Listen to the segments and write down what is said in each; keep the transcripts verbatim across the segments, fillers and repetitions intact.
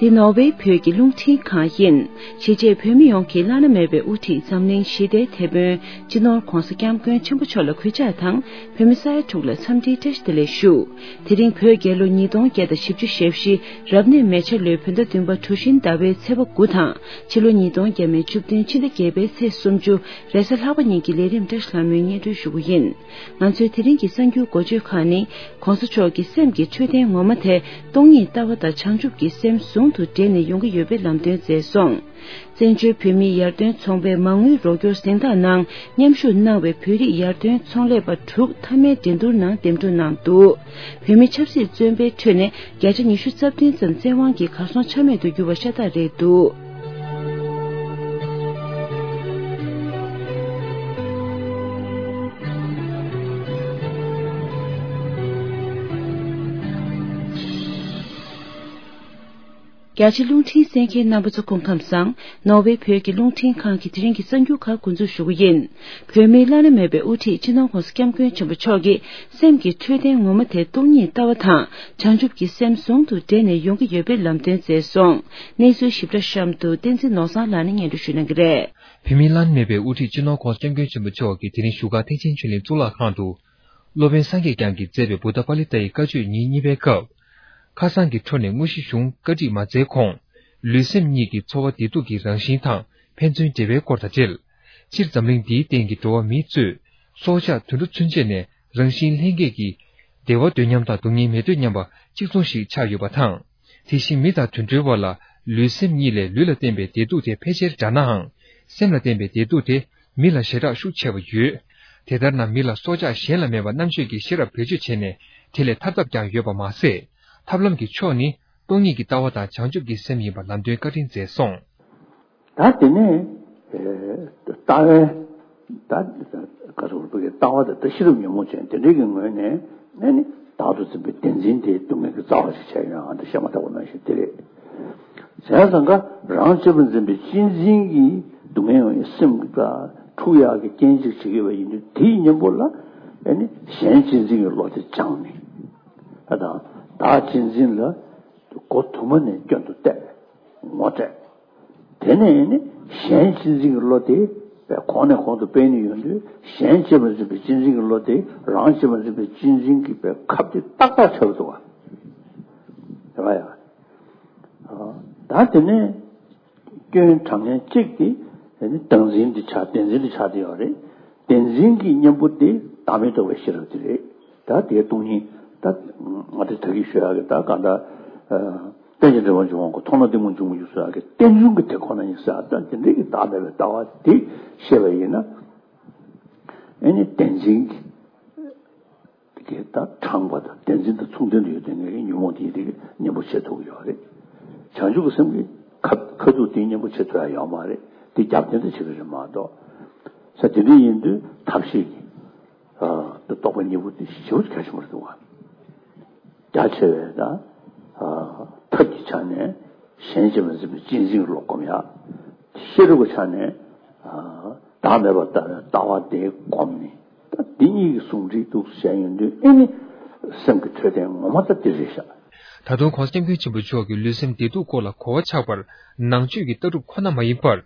འདི་ནོར་ཝེ་བོད་ཀྱི་རླུང་འཕྲིན་ཁང་ཡིན། གཞིས་བྱེས་བོད་མི་ཡོངས་ཀྱི་བླ་ན་མེད་པའི་དབུ་ཁྲིད་འཛམ་གླིང་ཞི་བདེའི་དེད་དཔོན་སྤྱི་ནོར་༧གོང་ས་༧སྐྱབས་མགོན་ཆེན་པོ་མཆོག་ལ་གུས་ཕྱག་དང་། བོད་མི་ས་ཡ་དྲུག་ལ་འཚམས་འདྲིའི་བཀྲ་ཤིས་བདེ་ལེགས་ཞུ། དེ་རིང་བོད་རྒྱལ་ལོ་ཉིས་སྟོང་བརྒྱ་དང་བཞི་བཅུ་ཞེ་བཞི་རབ་གནས་མེ་བྱ་ལོའི་བོད་ཟླ་བདུན་པ་གྲུ་བཞིའི་ཟླ་བའི་ཚེས་པ་དགུ་དང་། ཕྱི་ལོ་ཉིས་སྟོང་བརྒྱ་མེད་བཅུ་བདུན་ཕྱི་ཟླ་བརྒྱད་པའི་ཚེས་སུམ་ཅུ་རེས་གཟའ་ལྷག་པ་ཉིན་གྱི་ལས་རིམ་བཀྲ་ཤིས་ལྷ་མོས་སྙན་སྒྲོན་ཞུ་རྒྱུ་ཡིན། ང་ཚོའི་དེ་རིང་གི་གསར་འགྱུར་འགོ་བརྗོད་ཁག་ནི། ༸གོང་ས་མཆོག་གི་སེམས་ཀྱི་འཕྲོད་བསྟེན་ངོ་མ་དེ་སྟོང་ཉིད་ལྟ་བ་དང་བྱང་ཆུབ་ཀྱི་སེམས་ཟུང་དུ་འབྲེལ་ནས་ཡོང་གི་ཡོད་པའི་ལམ་སྟོན་མཛད་སོང་། བཙན་བྱོལ་བོད་མིའི་ཡར་ཐོན་ཚོང་པའི་མ་དངུལ་རོགས་སྐྱོར་གཟེངས་རྟགས་ནང་མཉམ་ཞུགས་གནང་བའི་བོད་རིགས་ཡར་ཐོན་ཚོང་ལས་པ་དྲུག་མཐའ་མའི་འགྲན་བསྡུར་ནང་འདེམས་སྒྲུག་གནང་འདུག་བོད་མི་ཆབ་སྲིད་བཙོན་པའི་ཁྲོད་ནས་བརྒྱ་ཆ་ཉི་ཤུ་རྩ་བདུན་ཙམ་བཙན་དབང་གིས་གར་སོང་ཆ་མེད་དུ་གྱུར་བ་ཤ་སྟག་རེད་འདུག་རྒྱ་ཆེ་རླུང་འཕྲིན་གསན་མཁན་རྣམ་པ་ཚོ་སྐུ་ཁམས་བཟང་། ནོར་ཝེ་བོད་ཀྱི་རླུང་འཕྲིན་ཁང་གི་དེ་རིང་གི་གསར་འགྱུར་ཁག་འགོ་འཛུགས་ཞུ་གི་ཡིན། བོད་མིའི་བླ་ན་མེད་པའི་དབུ་ཁྲིད་སྤྱི་ནོར་༸གོང་ས་༸སྐྱབས་མགོན་ཆེན་པོ་མཆོག་གིས་སེམས་ཀྱི་འཕྲོད་བསྟེན་ངོ་མ་དེ་སྟོང་ཉིད་ལྟ་བ་དང་བྱང་ཆུབ་ཀྱི་སེམས་ཟུང་དུ་འབྲེལ་ནས་ཡོང་གི་ཡོད་པའི་ལམ་སྟོན་མཛད་སོང་། གནས་ཚུལ་ཞིབ་ཕྲ་གཤམ་དུ་བསྟན་འཛིན་ནོར་བཟང་ལགས་ནས་སྙན་སྒྲོན་ཞུ་གནང་གི་རེད། བོད་མིའི་བླ་ན་མེད་པའི་དབུ་ཁྲིད་སྤྱི་ནོར་༸གོང་ས་༸སྐྱབས་མགོན་ཆེན་པོ་མཆོག་གིས་དེ་རིང་བཞུགས་སྒར་ཐེག་ཆེན་ཆོས་གླིང་གཙུག་ལག་ཁང་དུ། སློབ་དཔོན་སངས་རྒྱས་བསྐྱངས་ཀྱིས་མཛད་པའི་བུདྡྷ་པཱ་ལི་ཏའི་བཀའ་ཆོས་ཉིན་གཉིས་པའི་སྐབས། ཁ་སང་གི་འཕྲོ་ནས་དངོས་གཞི་གཞུང་བཀའ་ཁྲིད་མ་མཛད་གོང་། ལུས་སེམས་གཉིས་ཀྱི་འཚོ་བ་བདེ་སྡུག་གི་རང་བཞིན་དང་ཕན་ཚུན་འབྲེལ་བའི་སྐོར་དང་འབྲེལ། སྤྱིར་འཛམ་གླིང་འདིའི་སྟེང་གི་འགྲོ་བ་མིའི་གཙོས་སྲོག་ཆགས་དུད་འགྲོ་ཚུན་ཆད་ནས་རང་བཞིན་ལྷན་སྐྱེས་ཀྱི་བདེ་བ་འདོད་སྙམ་དང་སྡུག་བསྔལ་མི་འདོད་སྙམ་པ་གཅིག་མཚུངས་ཤིག་ཆགས་ཡོད་པ་དང་། དེ་བཞིན་མི་དང་དུད་འགྲོའི་བར་ལ་ལུས་སེམས་གཉིས་ལས་ལུས་ལ་བརྟེན་པའི་བདེ་སྡུག་དེ་ཕལ་ཆེར་འདྲ་ནའང་། སེམས་ལ་བརྟེན་པའི་བདེ་སྡུག་དེ་མི་ལ་ཞེ་དྲག་ཤུགས་ཆེ་བ་ཡོད། དེ་ལྟར་ན་མི་ལ་སྲོག་ཆགས་གཞན་ལ་མེད་པ་རྣམ་དཔྱོད་ཀྱིས་ཤེས་རབ་བེད་སྤྱོད་བྱས་ནས་དེ་ལས་ཐར་ཐབས་ཀྱང་ཡོད་པ་མ་ཟད། ཐབས་ལམ་གྱི་ཕྱོགས་ནི་སྟོང་ཉིད་ཀྱི་ལྟ་བ་དང་བྱང་ཆུབ་ཀྱི་སེམས་ཡིན་པ་ལམ་སྟོན་བཀའ་དྲིན་མཛད་སོང་། ད་དེ་ནས་ལྟ་བའི་ད་ག་རེ་ལྟ་བ་དེ་ད་ཤེས་རབ་ཉོན་མོངས་ཅན་དེ་འདྲའི་གི་ངོས་ནས་ནས་ནི་བདག་ཏུ་འཛིན་པའི་བདེན་འཛིན་དེ་སྡུག་བསྔལ་གྱི་རྩ་བ་ཞིག་བྱས་ཡོང་ཨ་འདི་བཤད་མ་ཐག་པ་ནང་བཞིན་དེ་རེད། བྱས་ཙང་ཀ་རང་གཅེས་པར་འཛིན་པའི་གཅེས་འཛིན་གྱི་སྡུག་བསྔལ་ཡོང་བའི་སེམས་ཀྱི་ཀ་འཁྲུག་ཡག་གི་རྐྱེན་གཅིག་བྱེད་ཀྱི་ཡོད་པ་ཡིན་དུས་དེའི་གཉེན་པོ་ལ་ཨ་ནི་གཞན་གཅེས་འཛིན་གྱི་བློ་དེ་སྦྱངས་ནས་ཨ་དང་བདག་གཅེས་འཛིན་ལ་མགོ་དུ་མ་ནས་སྐྱོན་དུ་བལྟས་ངོ་སྤྲད། དེ་ནས་ནི་གཞན་གཅེས་འཛིན་གྱི་བློ་དེ་གོང་ནས་གོང་དུ་སྤེལ་ནས་ཡོང་དུས་གཞན་གཅེས་པར་འཛིན་པའི་གཅེས་འཛིན་གྱི་བློ་དེ་རང་གཅེས་པར་འཛིན་པའི་གཅེས་འཛིན་གྱི་པའི་ཁབ་དེ་ཏག་ཏག་ཆགས་འདུག་བ། རེད་བ་ཡ། ད་དེ་ནས་སྐྱོན་དྲག་མཁན་གཅིག་དེ་དེ་ནི་བདག་འཛིན་དེ་ཆགས་བདེན་འཛིན་དེ་ཆགས་བསྡད་ཡོད་རེད། བདེན་འཛིན་གྱི་གཉེན་པོ་དེ་བདག་མེད་རྟོགས་པའི་ཤེས་རབ་དེ་རེད། ད་དེའི་སྟོང་ཉིད་ད་ང་དེ་ད་གིན་ཞུ་ཡག་གི་ད་གང་ལྟར། རྟེན་ཅིང་འབྲེལ་བར་འབྱུང་བ་ཀུན། མཐོང་ལ་གཏི་མུག་འབྱུང་མི་འགྱུར་ཟེར་ཡག་གི་རྟེན་འབྱུང་གི་དེ་ཁོ་ན་ཡིན་ཟེར་ཡག་ད་དེ་འདྲའི་གི་བདག་མེད་པའི་ལྟ་བ་དེ་ཤེས་པ་ཡིན་ན། ཨེ་ནི་བདེན་འཛིན་གྱི་དེ་ད་དྲངས་པ་དང་བདེན་འཛིན་དང་མཚུངས་ལྡན་དུ་ཡོད་དེ་ངའི་ཉོན་མོངས་དེ་ཡི་དེ་གི་གཉེན་པོ་བྱེད་ཐུབ་ཀྱི་ཡོད་རེད། བྱང་ཆུབ་ཀྱི་སེམས་ཀྱི་ཁ་ཁ་ཐུག་དེའི་གཉེན་པོ་བྱེད་ཐུབ་ཡག་ཡོད་མ་རེད། དེ་རྒྱབ་རྟེན་དུ་བྱེད་ཀྱི་རེད་མ་གཏོགས། ས་དེ་འདྲ་ཡིན་དུས་ཐབས་ཤེས་ཀྱི། རྟོགས་པ་གཉིས་པོ་དེ་ཞེ་པོ་གལ་ཆེན་པོ་རེད་འདུག་བ། རྒྱ་ཆེ་བའི་ད་ཐབས་ཀྱི་ཆ་ནས་གཞན་གཅེས་པར་འཛིན་པའི་གཅེས་འཛིན་གྱི་བློ་སྒོམ་ཡག་ཤེས་རབ་ཀྱི་ཆ་ནས་བདག་མེད་པར་ལྟ་བའི་ལྟ་བ་དེ་སྒོམ་ནས་ད་འདི་གཉིས་ཀྱི་ཟུང་འབྲེལ་འདུག་བཤད་ཡོང་དུས་ཨེ་ནི་སེམས་ཀྱི་འཕྲོད་བསྟེན་ངོ་མ་ད་འདི་རེད་ཤག་ད་དུང་༸གོང་ས་༸སྐྱབས་མགོན་ཆེན་པོ་མཆོག་གིས་ལུས་སེམས་བདེ་སྡུག་སྐོར་ལ་གོ་བ་ཆགས་པར་ནང་ཆོས་ཀྱི་ལྟ་གྲུབ་ཁོ་ན་མ་ཡིན་པར།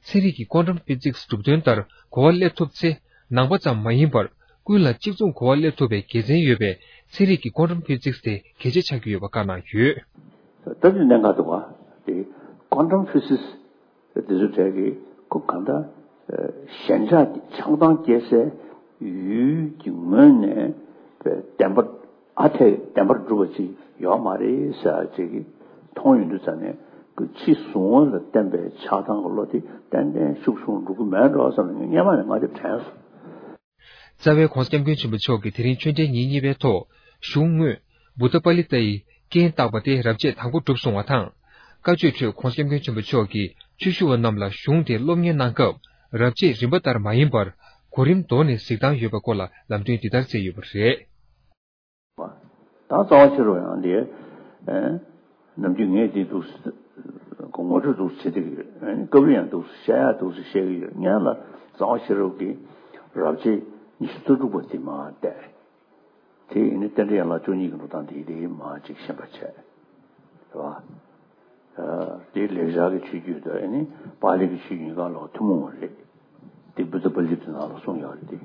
ཚན་རིག་གི་ཀོན་ཊམ་ཕི་ཛིག་སི་གྲུབ་དོན་ལྟར་གོ་བ་སླེབས་ཐུབ་ཚེ། ནང་པ་ཙམ་མ་ཡིན་པར་ཀུན་ལ་གཅིག་མཚུངས་གོ་བ་སླེབས་ཐུབ་པའི་དགེ་མཚན་ཡོད་པས་ཚན་རིག་གི་ཀོན་ཊམ་ཕི་ཛིག་སི་དེ་གལ་ཆེ་ཆགས་ཀྱི་ཡོད་པ་བཀའ་གནང་ཡོད། ད་དེ་གནད་འགག་འདུག་བ། དེ་ཀོན་ཊམ་ཕི་ཛིག་སི་དེ་ཚོ་གྲས་ཀྱི་ཁོ་གང་ལྟར་ཞེན་ཆགས་ཀྱི་ཆགས་སྡང་སྐྱེ་སའི་ཡུལ་གྱི་ངོས་ནས་བདེན་པ། ཨ་ཐེ་བདེན་པར་གྲུབ་པ་ཅིག་ཡོད་མ་རེད་ཟེར་ཅིག་གིས་མཐོང་ཡོང་དུས་ཙ་ནས་ཁོ་ཕྱི་གཟུང་བ་ལ་བརྟེན་པའི་ཆགས་སྡང་གི་བློ་དེ་ཏན་ཏན་ཤུགས་ཆུང་འགྲོ་གི་མེད་འགྲོ་བསམ་ནས་སྔན་མ་ནས་ང་དེ་དྲན་སོང་། རྩ་བའི་༸གོང་ས་༸སྐྱབས་མགོན་ཆེན་པོ་མཆོག་གིས་དེ་རིང་ཆོས་འབྲེལ་ཉིན་གཉིས་པའི་ཐོག་གཞུང་དངོས་བུདྡྷ་པཱ་ལི་ཏའི་རྐྱེན་བཏགས་པ་དེ་རབ་བྱེད་དང་པོ་གྲུབ་སོང་བ་དང་། བཀའ་ཆོས་ཁྲོད་༸གོང་ས་༸སྐྱབས་མགོན་ཆེན་པོ་མཆོག་གིས་ཆོས་ཞུ་བ་རྣམས་ལ་གཞུང་དེ་སློབ་གཉེར་གནང་སྐབས་རབ་བྱེད་རིམ་པ་ལྟར་མ་ཡིན་པར་གོ་རིམ་དོར་ནས་གཟིགས་སྟངས་ཡོད་པའི་སྐོར་ལ་ལམ་སྟོན་འདི་ལྟར་མཛད་ཡོད་པ་རེད། ད་རྩ་བ་ཤེས་རབ་ཡང་འདི། ནམ་རྒྱུན་ངས་འདི་འདུག་ངོ་སྤྲོད་འདུག་བྱེད་ཀྱི་ཡོད། སྐབས་རེ་ཡང་འདུག་བཤད་ཡ་འདུག་བཤད་ཀྱི་ཡོད། སྔོན་ལ་རྩ་བ་ཤེས་རབ་ཀྱི་རབ་བྱེད་ཉི་ཤུ་རྩ་དྲུག་པ་འདི་མར་བལྟས། དེ་ཡིན་ན་རྟེན་འབྲེལ་ཡན་ལག་བཅུ་གཉིས་ཀྱི་འགྲོ་སྟངས་དེ་དེ་མར་ཅིག་ཤེས་པ་བྱས། རེད་བ། དེ་ལེགས་སྦྱར་གྱི་ཆོས་བརྒྱུད་དང་ཨ་ནི་པཱ་ལི་གི་ཆོས་བརྒྱུད་གང་ལ་ཐུན་མོང་བ་རེད། དེ་བུདྡྷ་པཱ་ལི་ཏི་ནང་ལ་གསུངས་ཡོད་རེད་དེ།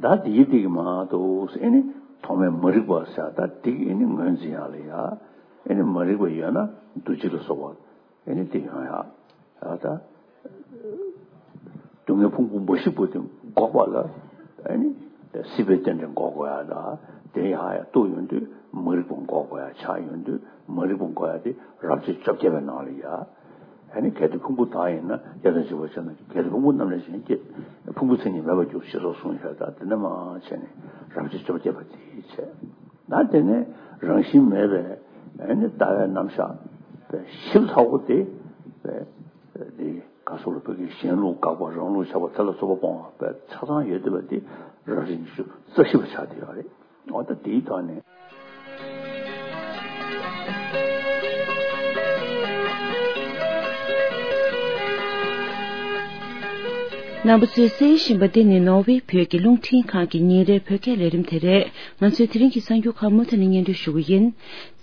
ད་དེའི་སྟེང་མ་གཏོགས་ཨ་ནི་ཐོག་མའི་མ་རིག་པ་ཟེར་ད་དེ་ཨ་ནི་ངོས་འཛིན་ཡག་ལ་ཡ། ཨ་ནི་མ་རིག་པ་ཡོད་ན་འདུ་བྱེད་ལ་སོགས་པ་ཨ་ནི་དེ་ཡོང་ཡག་ད། སྡུག་བསྔལ་ཕུང་པོ་འབའ་ཞིག་པོ་དེ་འགོག་པ་ལ་ཨ་ནི་སྲིད་པའི་རྟེན་འབྲེལ་འགོག་དགོས་ཡག་ད། དེ་ཡག་ཡག་རྟོགས་ཡོང་དུས་མ་རིག་པ་འགོག་དགོས་ཡག་ཆགས་ཡོང་དུས་མ་རིག་པ་འགོག་ཡག་དེ་རབ་བྱེད་བཅོ་བརྒྱད་པའི་ནང་ལ་ཡ། ཨ་ནི་གལ་ཏེ་ཕུང་པོ་དག་ཡིན་ན་དེ་དང་འཇིག་པར་བྱས་ན་གལ་ཏེ་ཕུང་པོ་རྣམས་ལས་གཞན་སྐྱེ། ཕུང་པོ་མཚན་ཉིད་མེད་པར་འགྱུར་ཞེས་སོགས་གསུངས་ཡོད་ད། དེ་འདྲ་མ་བྱས་ནས་རབ་བྱེད་བཅོ་བརྒྱད་པ་དེ་བྱས། ད་དེ་ནས་རང་བཞིན་མེད་པའི་ཨ་ནི་ལྟ་བའི་རྣམ་གཞག་པའི་ཞིབ་ཚགས་པོ་དེ་པའི་དེ་ག་སོགས་ལ་བོད་ཀྱི་གཞན་ལུགས་དགག་པ་རང་ལུགས་ཆགས་པ་དེ་ལ་སོགས་པ་སྤོང་བ་པའི་ཆ་ཚང་ཡོད་བསྡད་པ་དེ་རབ་བྱེད་ཉི་ཤུ་རྩ་བཞི་པ་ཆགས་བསྡད་ཡོད་རེད། འོ་ད་དེའི་ཐོག་ནས། རྣམ་པ་ཚོས་གསན་བཞིན་པ་འདི་ནི་ནོར་ཝེ་བོད་ཀྱི་རླུང་འཕྲིན་ཁང་གི་ཉིན་རེའི་བོད་སྐད་ལས་རིམ་དེ་རེད། ང་ཚོས་དེ་རིང་གི་གསར་འགྱུར་ཁག་མུ་མཐུད་ནས་སྙན་སྒྲོན་ཞུ་གི་ཡིན།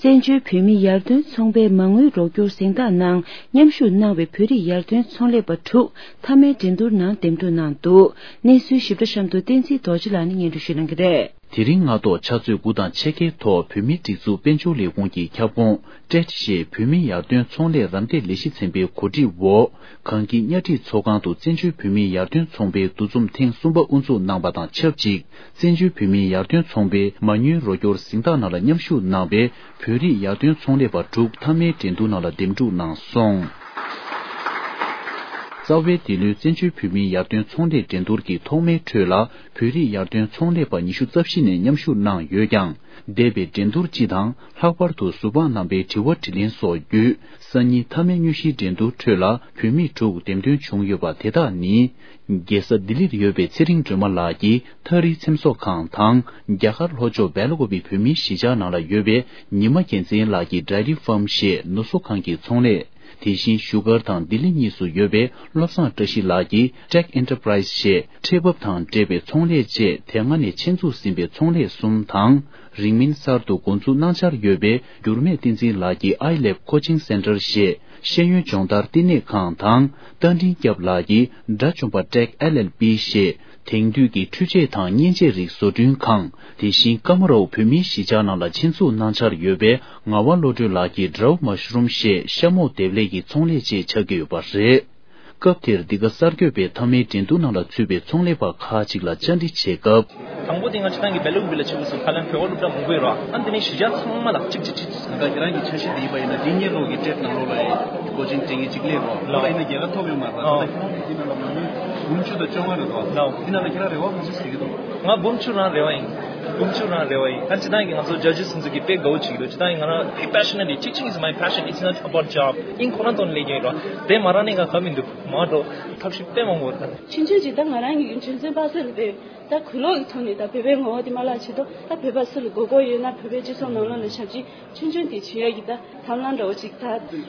བཙན་བྱོལ་བོད་མིའི་ཡར་ཐོན་ཚོང་པའི་མ་དངུལ་རོགས་སྐྱོར་གཟེངས་རྟགས་ནང་མཉམ་ཞུགས་གནང་བའི་བོད་རིགས་ཡར་ཐོན་ཚོང་ལས་པ་དྲུག་མཐའ་མའི་འགྲན་བསྡུར་ནང་འདེམས་སྒྲུག་གནང་འདུག་གནས་ཚུལ་ཞིབ་ཕྲ་གཤམ་དུ་བསྟན་འཛིན་རྡོ་རྗེ་ལགས་ནས་སྙན་སྒྲོན་ཞུ་གནང་གི་རེད། དེ་རིང་སྔ་ཐོག་ཕྱག་ཚོད་དགུ་དང་ཕྱེད་ཀའི་ཐོག་བོད་མིའི་སྒྲིག་འཛུགས་དཔལ་འབྱོར་ལས་ཁུངས་ཀྱི་ཁྱབ་ཁོངས་ཊེད་ཞེས་བོད་མིའི་ཡར་ཐོན་ཚོང་ལས་རམ་འདེགས་ལས་གཞི་ཚན་པའི་གོ་སྒྲིག་འོག་གངས་སྐྱིད་གཉའ་ཁྲི་ཚོགས་ཁང་དུ་བཙན་བྱོལ་བོད་མིའི་ཡར་ཐོན་ཚོང་པའི་འདུ་འཛོམས་ཐེངས་གསུམ་པ་དབུ་འཛུགས་གནང་པ་དང་ཆབས་ཅིག་བཙན་བྱོལ་བོད་མིའི་ཡར་ཐོན་ཚོང་པའི་མ་དངུལ་རོགས་སྐྱོར་གཟེངས་རྟགས་ནང་ལ་མཉམ་ཞུགས་གནང་བའི་བོད་རིགས་ཡར་ཐོན་ཚོང་ལས་པ་དྲུག་མཐའ་མའི་འགྲན་བསྡུར་ནང་ལ་འདེམས་སྒྲུག་གནང་སོང་། རྩ་བའི་འདི་ལོའི་བཙན་བྱོལ་བོད་མིའི་ཡར་ཐོན་ཚོང་ལས་འགྲན་བསྡུར་གྱི་ཐོག་མའི་ཁྲོད་ལ་བོད་རིགས་ཡར་ཐོན་ཚོང་ལས་པ་ཉི་ཤུ་རྩ་བཞི་ནས་མཉམ་ཞུགས་གནང་ཡོད་ཀྱང་། འདས་པའི་འགྲན་བསྡུར་སྤྱི་དང་ལྷག་པར་དུ་ཟུར་དཔང་རྣམ་པའི་དྲི་བ་དྲིས་ལན་སོགས་བརྒྱུད་སང་ཉིན་མཐའ་མའི་དངོས་གཞིའི་འགྲན་བསྡུར་ཁྲོད་ལ་བོད་མི་དྲུག་འདེམས་ཐོན་བྱུང་ཡོད་པ་དེ་དག་ནི། རྒྱལ་ས་ལྡི་ལིར་ཡོད་པའི་ཚེ་རིང་སྒྲོལ་མ་ལགས་ཀྱིས་ཐག་རིང་ཚེམ་བཟོ་ཁང་དང་རྒྱ་གར་ལྷོ་ཕྱོགས་སྦེལ་ཀོབ་པི་བོད་མིའི་གཞིས་ཆགས་ནང་ལ་ཡོད་པའི་ཉི་མ་རྒྱལ་མཚན་ལགས་ཀྱིས་ཌའི་རི་ཕཱམ་ཞེས་ནུ་གསོ་ཁང་གི་ཚོང་ལས། དེ་བཞིན་བཞུགས་སྒར་དང་ལྡི་ལི་གཉིས་སུ་ཡོད་པའི་བློ་བཟང་བཀྲ་ཤིས་ལགས་ཀྱིས་Tech Enterprise ཞེས་ཁྲལ་འབབ་དང་འབྲེལ་བའི་ཚོང་ལས་བཅས་དེ་སྔ་ནས་ཆེད་འཛུགས་ཟིན་པའི་ཚོང་ལས་གསུམ་དང་། རིང་མིན་གསར་དུ་འགོ་འཛུགས་གནང་འཆར་ཡོད་པའི་འགྱུར་མེད་བསྟན་འཛིན་ལགས་ཀྱིས་ཨའི་ལེབ་ཁོ་ཆིང་སེན་ཊར་ཞེས་ཤེས་ཡོན་སྦྱོང་བརྡར་བསྟི་གནས་ཁང་དང་། རྟ་མགྲིན་སྐྱབས་ལགས་ཀྱིས་དགྲ་བཅོམ་པ་Tech L L P ཞེས་དེང་དུས་ཀྱི་འཕྲུལ་ཆས་དང་མཉེན་ཆས་རིགས་བཟོ་སྐྲུན་ཁང་། དེ་བཞིན་ཀ་མ་རོ་བོད་མིའི་གཞིས་ཆགས་ནང་ལ་ཆེད་འཛུགས་གནང་འཆར་ཡོད་པའི་ངག་དབང་བློ་གྲོས་ལགས་ཀྱིས་ཌའོ་མ་ཤ་རུམ་ཞེས་ཤ་མོག་འདེབས་ལས་ཀྱི་ཚོང་ལས་བཅས་ཆགས་ཀྱི་ཡོད་པ་རེད། སྐབས་དེར་འདི་ག་གསར་འགོད་པས་མཐའ་མའི་འགྲན་བསྡུར་ནང་ལ་ཚུད་པའི་ཚོང་ལས་པ་ཁག་ཅིག་ལ་བཅར་འདྲི་བྱེད་སྐབས། དང་པོ་དེ་ང་ཅི་ཐང་གི་བེ་ལུག་བི་ལ་ཆེ་བོ་སུ་ཁ་ལན་བེ་བ་ལུག་ད་མང་པོ་ཡོད་ར། ཨ་འདི་ནས་གཞིས་ཆགས་ཚང་མ་ལ་གཅིག་གཅིག་གཅིག་གཅིག་ད་ཁྱེད་རང་གི་འཆར་གཞི་དེ་ཡིན་པ་ཡིན་ན་འདི་གཉེར་རོགས་ཀྱི་ཊེཌ་ནང་ལོགས་ལ་ཡི་ཀོ་ཅིང་ཊེང་གི་གཅིག་ལས་རོགས་ལ་ཡིན་ན་རྒྱལ་ཁ་ཐོབ་ཡོད་མ་རེད། ད་ཁྱེད་རང་གི་འདི་ནང་ལ་མ་དངུལ་འབུམ་བཅུ་དང་བཅོ་ལྔ་རེད་དོ། འདི་ནང་ལ་ཁྱེད་རང་རེ་བ་མང་ཆེ་ཟེར་གི་འདུག་ང་འབུམ་བཅུ་རང་རེ་བ་ཡིན། འབུམ་བཅུ་རང་རེ་བ་ཡིན། ད་སྤྱི་བཏང་གི་ང་ཚོ་ཇ་ཇི་སུན་ཚུན་གྱི་དཔེ་དགའ་བོ་བྱེད་ཀྱི་འདུག་སྤྱི་བཏང་གི་ང་རང་དཔེ་passionate teaching is my passion, it's not about job. ཨིན་ཁོ་རང་ཐོག་ནས་ལས་ཀྱི་ཡིན་རོགས་དེ་མ་རང་ནས་ང་ག་མི་འདུག་མ་འགྲོ། ཐབས་ཤེས་དཔེ་མང་པོ་རེད། ཆུང་ཆུང་ཅིག་ད་ང་རང་གི་ཆུང་ཆུང་པ་སེ་ལ་བས་ད་གུས་ལོག་གི་ཐོག་ནས་ད་བོད་པའི་ངོ་བོ་དེ་མ་བརླག་ཆེད་དུ་ད་བོད་པ་སུ་ལ་དགོས་མཁོ་ཡོད་ན་བོད་པའི་སྤྱི་ཚོགས་ནང་ལོགས་ལ་ཞབས་ཕྱི་ཆུང་ཆུང་དེ་བྱེད་ཡ་གི་ད་ཐབས་ལམ་འདྲ་བོ་ཅིག་ད་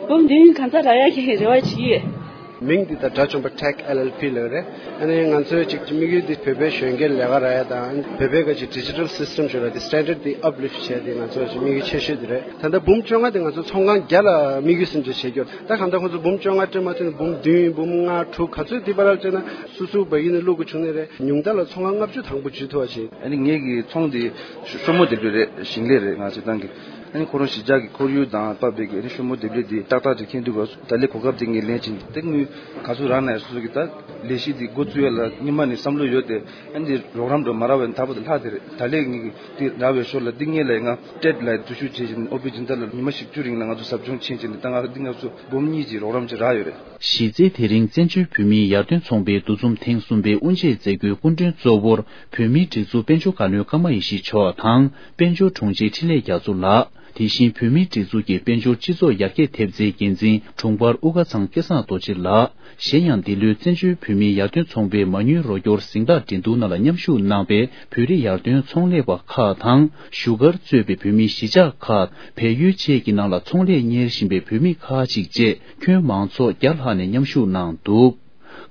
འབུམ་བདུན་གང་ཚ་རག་ཡ་གི་རེ་བ་བྱེད་ཡོད། མིང་འདི་ད་དགྲ་བཅོམ་པ་Tech L L P ལབ་རེད། ཨ་ནི་ང་ཚོའི་ཅིག་དམིགས་ཡུལ་འདི་བོད་པའི་གཞོན་སྐྱེས་ལས་ཀ་རག་ཡ་དང་བོད་པའི་ག་ཅིག་digital system ཞེས་པ་འདི་standard འདི་uplift བྱས་ཏེ་ང་ཚོ་ཅིག་དམིགས་ཡུལ་ཆེ་ཤོས་འདི་རེད། ད་ལྟ་འབུམ་བཅོ་ལྔ་དེ་ང་ཚོ་ཚོང་ཁང་བརྒྱ་ལ་དམིགས་ཡུལ་སུན་འབྱིན་བྱེད་རྒྱུ། ད་གང་ལྟར་ཁོང་ཚོ་འབུམ་བཅོ་ལྔ་སྤྲད་མ་ཐུབ་ན་འབུམ་བདུན་འབུམ་ལྔ་དྲུག་ག་ཚོད་འདི་བར་ལ་བྱས་ན་སུ་སུ་བ་ཡིན་ན་བླུག་དགོས་བྱུང་ནི་རེད། ཉུང་མཐའ་ལ་ཚོང་ཁང་ལྔ་བཅུ་དང་པོ་འཇུས་ཐུབ་པ་བྱེད། ཨ་ནི་ངེད་ཀྱི་ཚོང་འདི་ཤོ་མོ་འདེབས་ལས་རེད། ཞིང་ལས་རེད། ང་ཚོ་ཏང་གི་ཨ་ནི་ཁོ་རང་གཞིས་ཆགས་ཀྱི་ཁོར་ཡུག་དང་བབས་པའི་གི་ཨ་ནི་ཤོ་མོ་འདེབས་ལས་འདི་ཏག་ཏག་ཅིག་མཁྱེན་འདུག་ག་ད་ལས་གོ་སྐབས་དེ་ངས་ལེན་ཕྱིན་དེ་དངུལ་ག་ཚོད་རག་ན་ཡང་སོ་སོ་གི་ད་ལས་གཞི་འདི་འགོ་བཙུགས་ཡ་ལ་སྔོན་མ་ནས་བསམ་བློ་ཡོད་དེ་ཨ་ནི་འདི་རོགས་རམ་འགྲོ་མ་རག་པ་ཡིན་ད་བར་དུ་ལྷག་དེ་རེད། ད་ལས་ངེད་ཀྱི་འདི་རག་པའི་ཞོར་ལ་འདི་ངེད་ལ་ང་ཊེཌ་ལ་འཛུལ་ཞུགས་བྱེད་བཞིན་ཨོ་པི་སྦྱིན་བདག་ལ་ཉི་མ་བཞི་བཅུ་རིང་ལ་ང་ཚོ་ཟབ་སྦྱོང་ཕྱིན་བྱས་ནས་ད་ང་འདི་ང་ཚོ་འབུམ་གཉིས་ཀྱི་རོགས་རམ་ཅིག་རག་ཡོད་རེད། གཞི་རྩའི་དེ་རིང་བཙན་བྱོལ་བོད་མིའི་ཡར་ཐོན་ཚོང་པའི་འདུ་འཛོམས་ཐེངས་གསུམ་པའི་དབུ་འབྱེད་མཛད་སྒོའི་སྐུ་མགྲོན་གཙོ་བོར་བོད་མིའི་སྒྲིག་འཛུགས་དཔལ་འབྱོར་བཀའ་བློན་ཀརྨ་ཡེ་ཤེས་མཆོག་དང་དཔལ་འབྱོར་དྲུང་ཆེ་འཕྲིན་ལས་རྒྱ་མཚོ་ལགས། དེ་བཞིན་བོད་མིའི་སྒྲིག་འཛུགས་ཀྱི་དཔལ་འབྱོར་སྤྱི་ཚོགས་ཡར་རྒྱས་ཐེབས་རྩའི་འགན་འཛིན་དྲུང་འཕར་དབུ་དཀར་ཚང་སྐལ་བཟང་རྡོ་རྗེ་ལགས། གཞན་ཡང་འདི་ལོའི་བཙན་བྱོལ་བོད་མིའི་ཡར་ཐོན་ཚོང་པའི་མ་དངུལ་རོགས་སྐྱོར་གཟེངས་རྟགས་འགྲན་བསྡུར་ནང་ལ་མཉམ་ཞུགས་གནང་པའི་བོད་རིགས་ཡར་ཐོན་ཚོང་ལས་པ་ཁག་དང་བཞུགས་སྒར་གཙོས་པའི་བོད་མིའི་གཞིས་ཆགས་ཁག་བལ་ཡུལ་བཅས་ཀྱི་ནང་ལ་ཚོང་ལས་གཉེར་བཞིན་པའི་བོད་མི་ཁག་ཅིག་བཅས་ཁྱོན་མང་ཚོགས་བརྒྱ་ལྷག་ནས་མཉམ་ཞུགས་གནང་འདུག་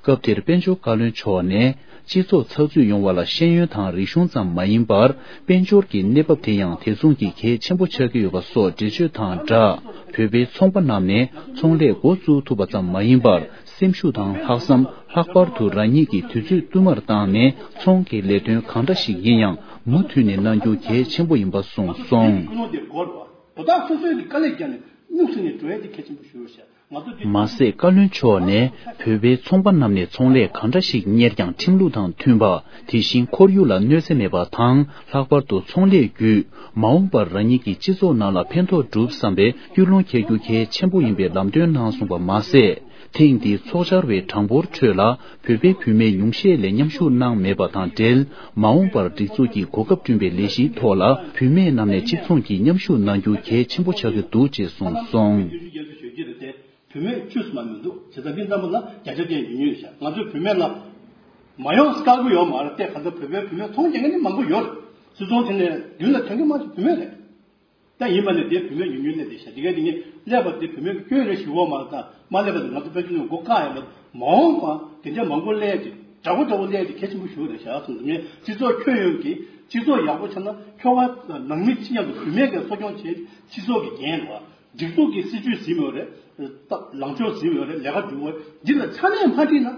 སྐབས་དེར་དཔལ་འབྱོར་བཀའ་བློན་མཆོག་ནས། སྤྱི་ཚོགས་ཚགས་ཚུད་ཡོང་བ་ལ་ཤེས་ཡོན་དང་རིག་གཞུང་ཙམ་མ་ཡིན་པར། དཔལ་འབྱོར་གྱི་གནས་བབ་དེ་ཡང་དེ་མཚུངས་ཀྱི་གལ་ཆེན་པོ་ཆགས་ཀྱི་ཡོད་པ་སོགས་འགྲེལ་བརྗོད་དང་སྦྲགས། བོད་པའི་ཚོང་པ་རྣམས་ནས་ཚོང་ལས་འགོ་བཙུགས་ཐུབ་པ་ཙམ་མ་ཡིན་པར། སེམས་ཤུགས་དང་ལྷག་བསམ། ལྷག་པར་དུ་རང་ཉིད་ཀྱི་དུས་ཚོད་བསྟུད་མར་བཏང་ནས། ཚོང་གི་ལས་དོན་གང་འདྲ་ཞིག་ཡིན་ཡང་མུ་མཐུད་ནས་གནང་རྒྱུ་གལ་ཆེན་པོ་ཡིན་པ་གསུངས་སོང་། ཀུན་སློང་དེ་སྒོར་བ། བོ་དག་སོ་སོའི་གི་དཀའ་ལས་བརྒྱབ་ནས་སྨྱུག་སེ་ནས་འགྲོ་ཡ་དེ་གལ་ཆེན་པོ་ཞུ་རོགས་ཞེས་ང་ཚོ་འདི། མ་ཟད། བཀའ་བློན་མཆོག་ནས་བོད་པའི་ཚོང་པ་རྣམས་ནས་ཚོང་ལས་གང་འདྲ་ཞིག་གཉེར་ཀྱང་ཁྲིམས་ལུགས་དང་མཐུན་པ། དེ་བཞིན་ཁོར་ཡུག་ལ་གནོད་འཚེ་མེད་པ་དང་། ལྷག་པར་དུ་ཚོང་ལས་བརྒྱུད་མ་འོངས་པར་རང་ཉིད་ཀྱི་སྤྱི་ཚོགས་ནང་ལ་ཕན་ཐོགས་སྒྲུབ་བསམ་པའི་ཀུན་སློང་འཁྱེར་རྒྱུ་གལ་ཆེན་པོ་ཡིན་པའི་ལམ་སྟོན་གནང་སོང་བ་མ་ཟད། ཐེངས་འདིའི་ཚོགས་བཅར་བའི་གྲངས་འབོར་ཁྲོད་ལ་བོད་པའི་བུད་མེད་ཉུང་ཤས་ལས་མཉམ་ཞུགས་གནང་མེད་པ་དང་འབྲེལ། མ་འོངས་པར་སྒྲིག་འཛུགས་ཀྱིས་གོ་སྐབས་བསྐྲུན་པའི་ལས་གཞིའི་ཐོག་ལ་བུད་མེད་རྣམས་ནས་གཅིག་མཚུངས་ཀྱིས་མཉམ་ཞུགས་གནང་རྒྱུ་གལ་ཆེན་པོ་ཆགས་ཀྱི་འདུག་ཅེས་གསུངས་སོང་། བུད་མེད་བཅུ་ཙམ་མ་མི་འདུག་བྱས་ཙང་འདི་རྣམ་པ་ལ་བརྒྱ་ཆ་བརྒྱ་ཡོད་ཉོས་ཤག་ང་ཚོའི་བུད་མེད་ལ་མ་ཡོང་དཀའ་པོ་ཡོད་མ་རེད་དེ། ག་ཚོད་བོད་པའི་བུད་མེད་ཚོང་རྒྱག་མཁན་ནི་མང་པོ་ཡོད་རེད། སུད་ཚོང་དེ་ནས་མདུན་ལ་ཐོན་མཁན་མང་ཆེ་བུད་མེད་རེད། ད་ཡིན་པ་ནས་དེ་བུད་མེད་ཉུང་ཉུང་སླེབས་བསྡད་ཤག་འདི་ག་འདི་ངས་ཀླད་པ་དེ་བུད་མེད་ཀྱི་སྐྱོན་རེད་ཞུ་བ་མ་རེད། ད་མ་སླེབས་པ་དེ་ང་ཚོ་དཔལ་འབྱོར་ནས་མགོ་བཀག་ཡོད་པ་མ་འོངས་པ་དེ་འདྲ་མང་པོ་སླེབས་ཏེ་འདྲ་པོ་འདྲ་པོ་སླེབས་ཏེ་གལ་ཆེན་པོ་ཞུ་བ་རེད་ཤག་སོང་ཙང་ངས་སྤྱི་ཚོགས་ཁྱོན་ཡོངས་ཀྱི་སྤྱི་ཚོགས་ཡག་པོ་ཆགས་ན་ཁྱོ་ག་ནང་མི་ཅི་མཉམ་དུ་བུད་མེད་ཀྱི་གསོ་སྐྱོང་བྱེད་སྤྱི་ཚོགས་ཀྱི་འགན་རེད་བ། སྒྲིག་འཛུགས་ཀྱི་སྲིད་ཇུས་ཟིན་ཡོད་རེད། ལངས་ཕྱོགས་ཟིན་ཡོད་རེད། ལས་ཀ་སྒྲུབ་པ་འདི་ལ་ཚ་ནས་མ་ཁྲིད་ན།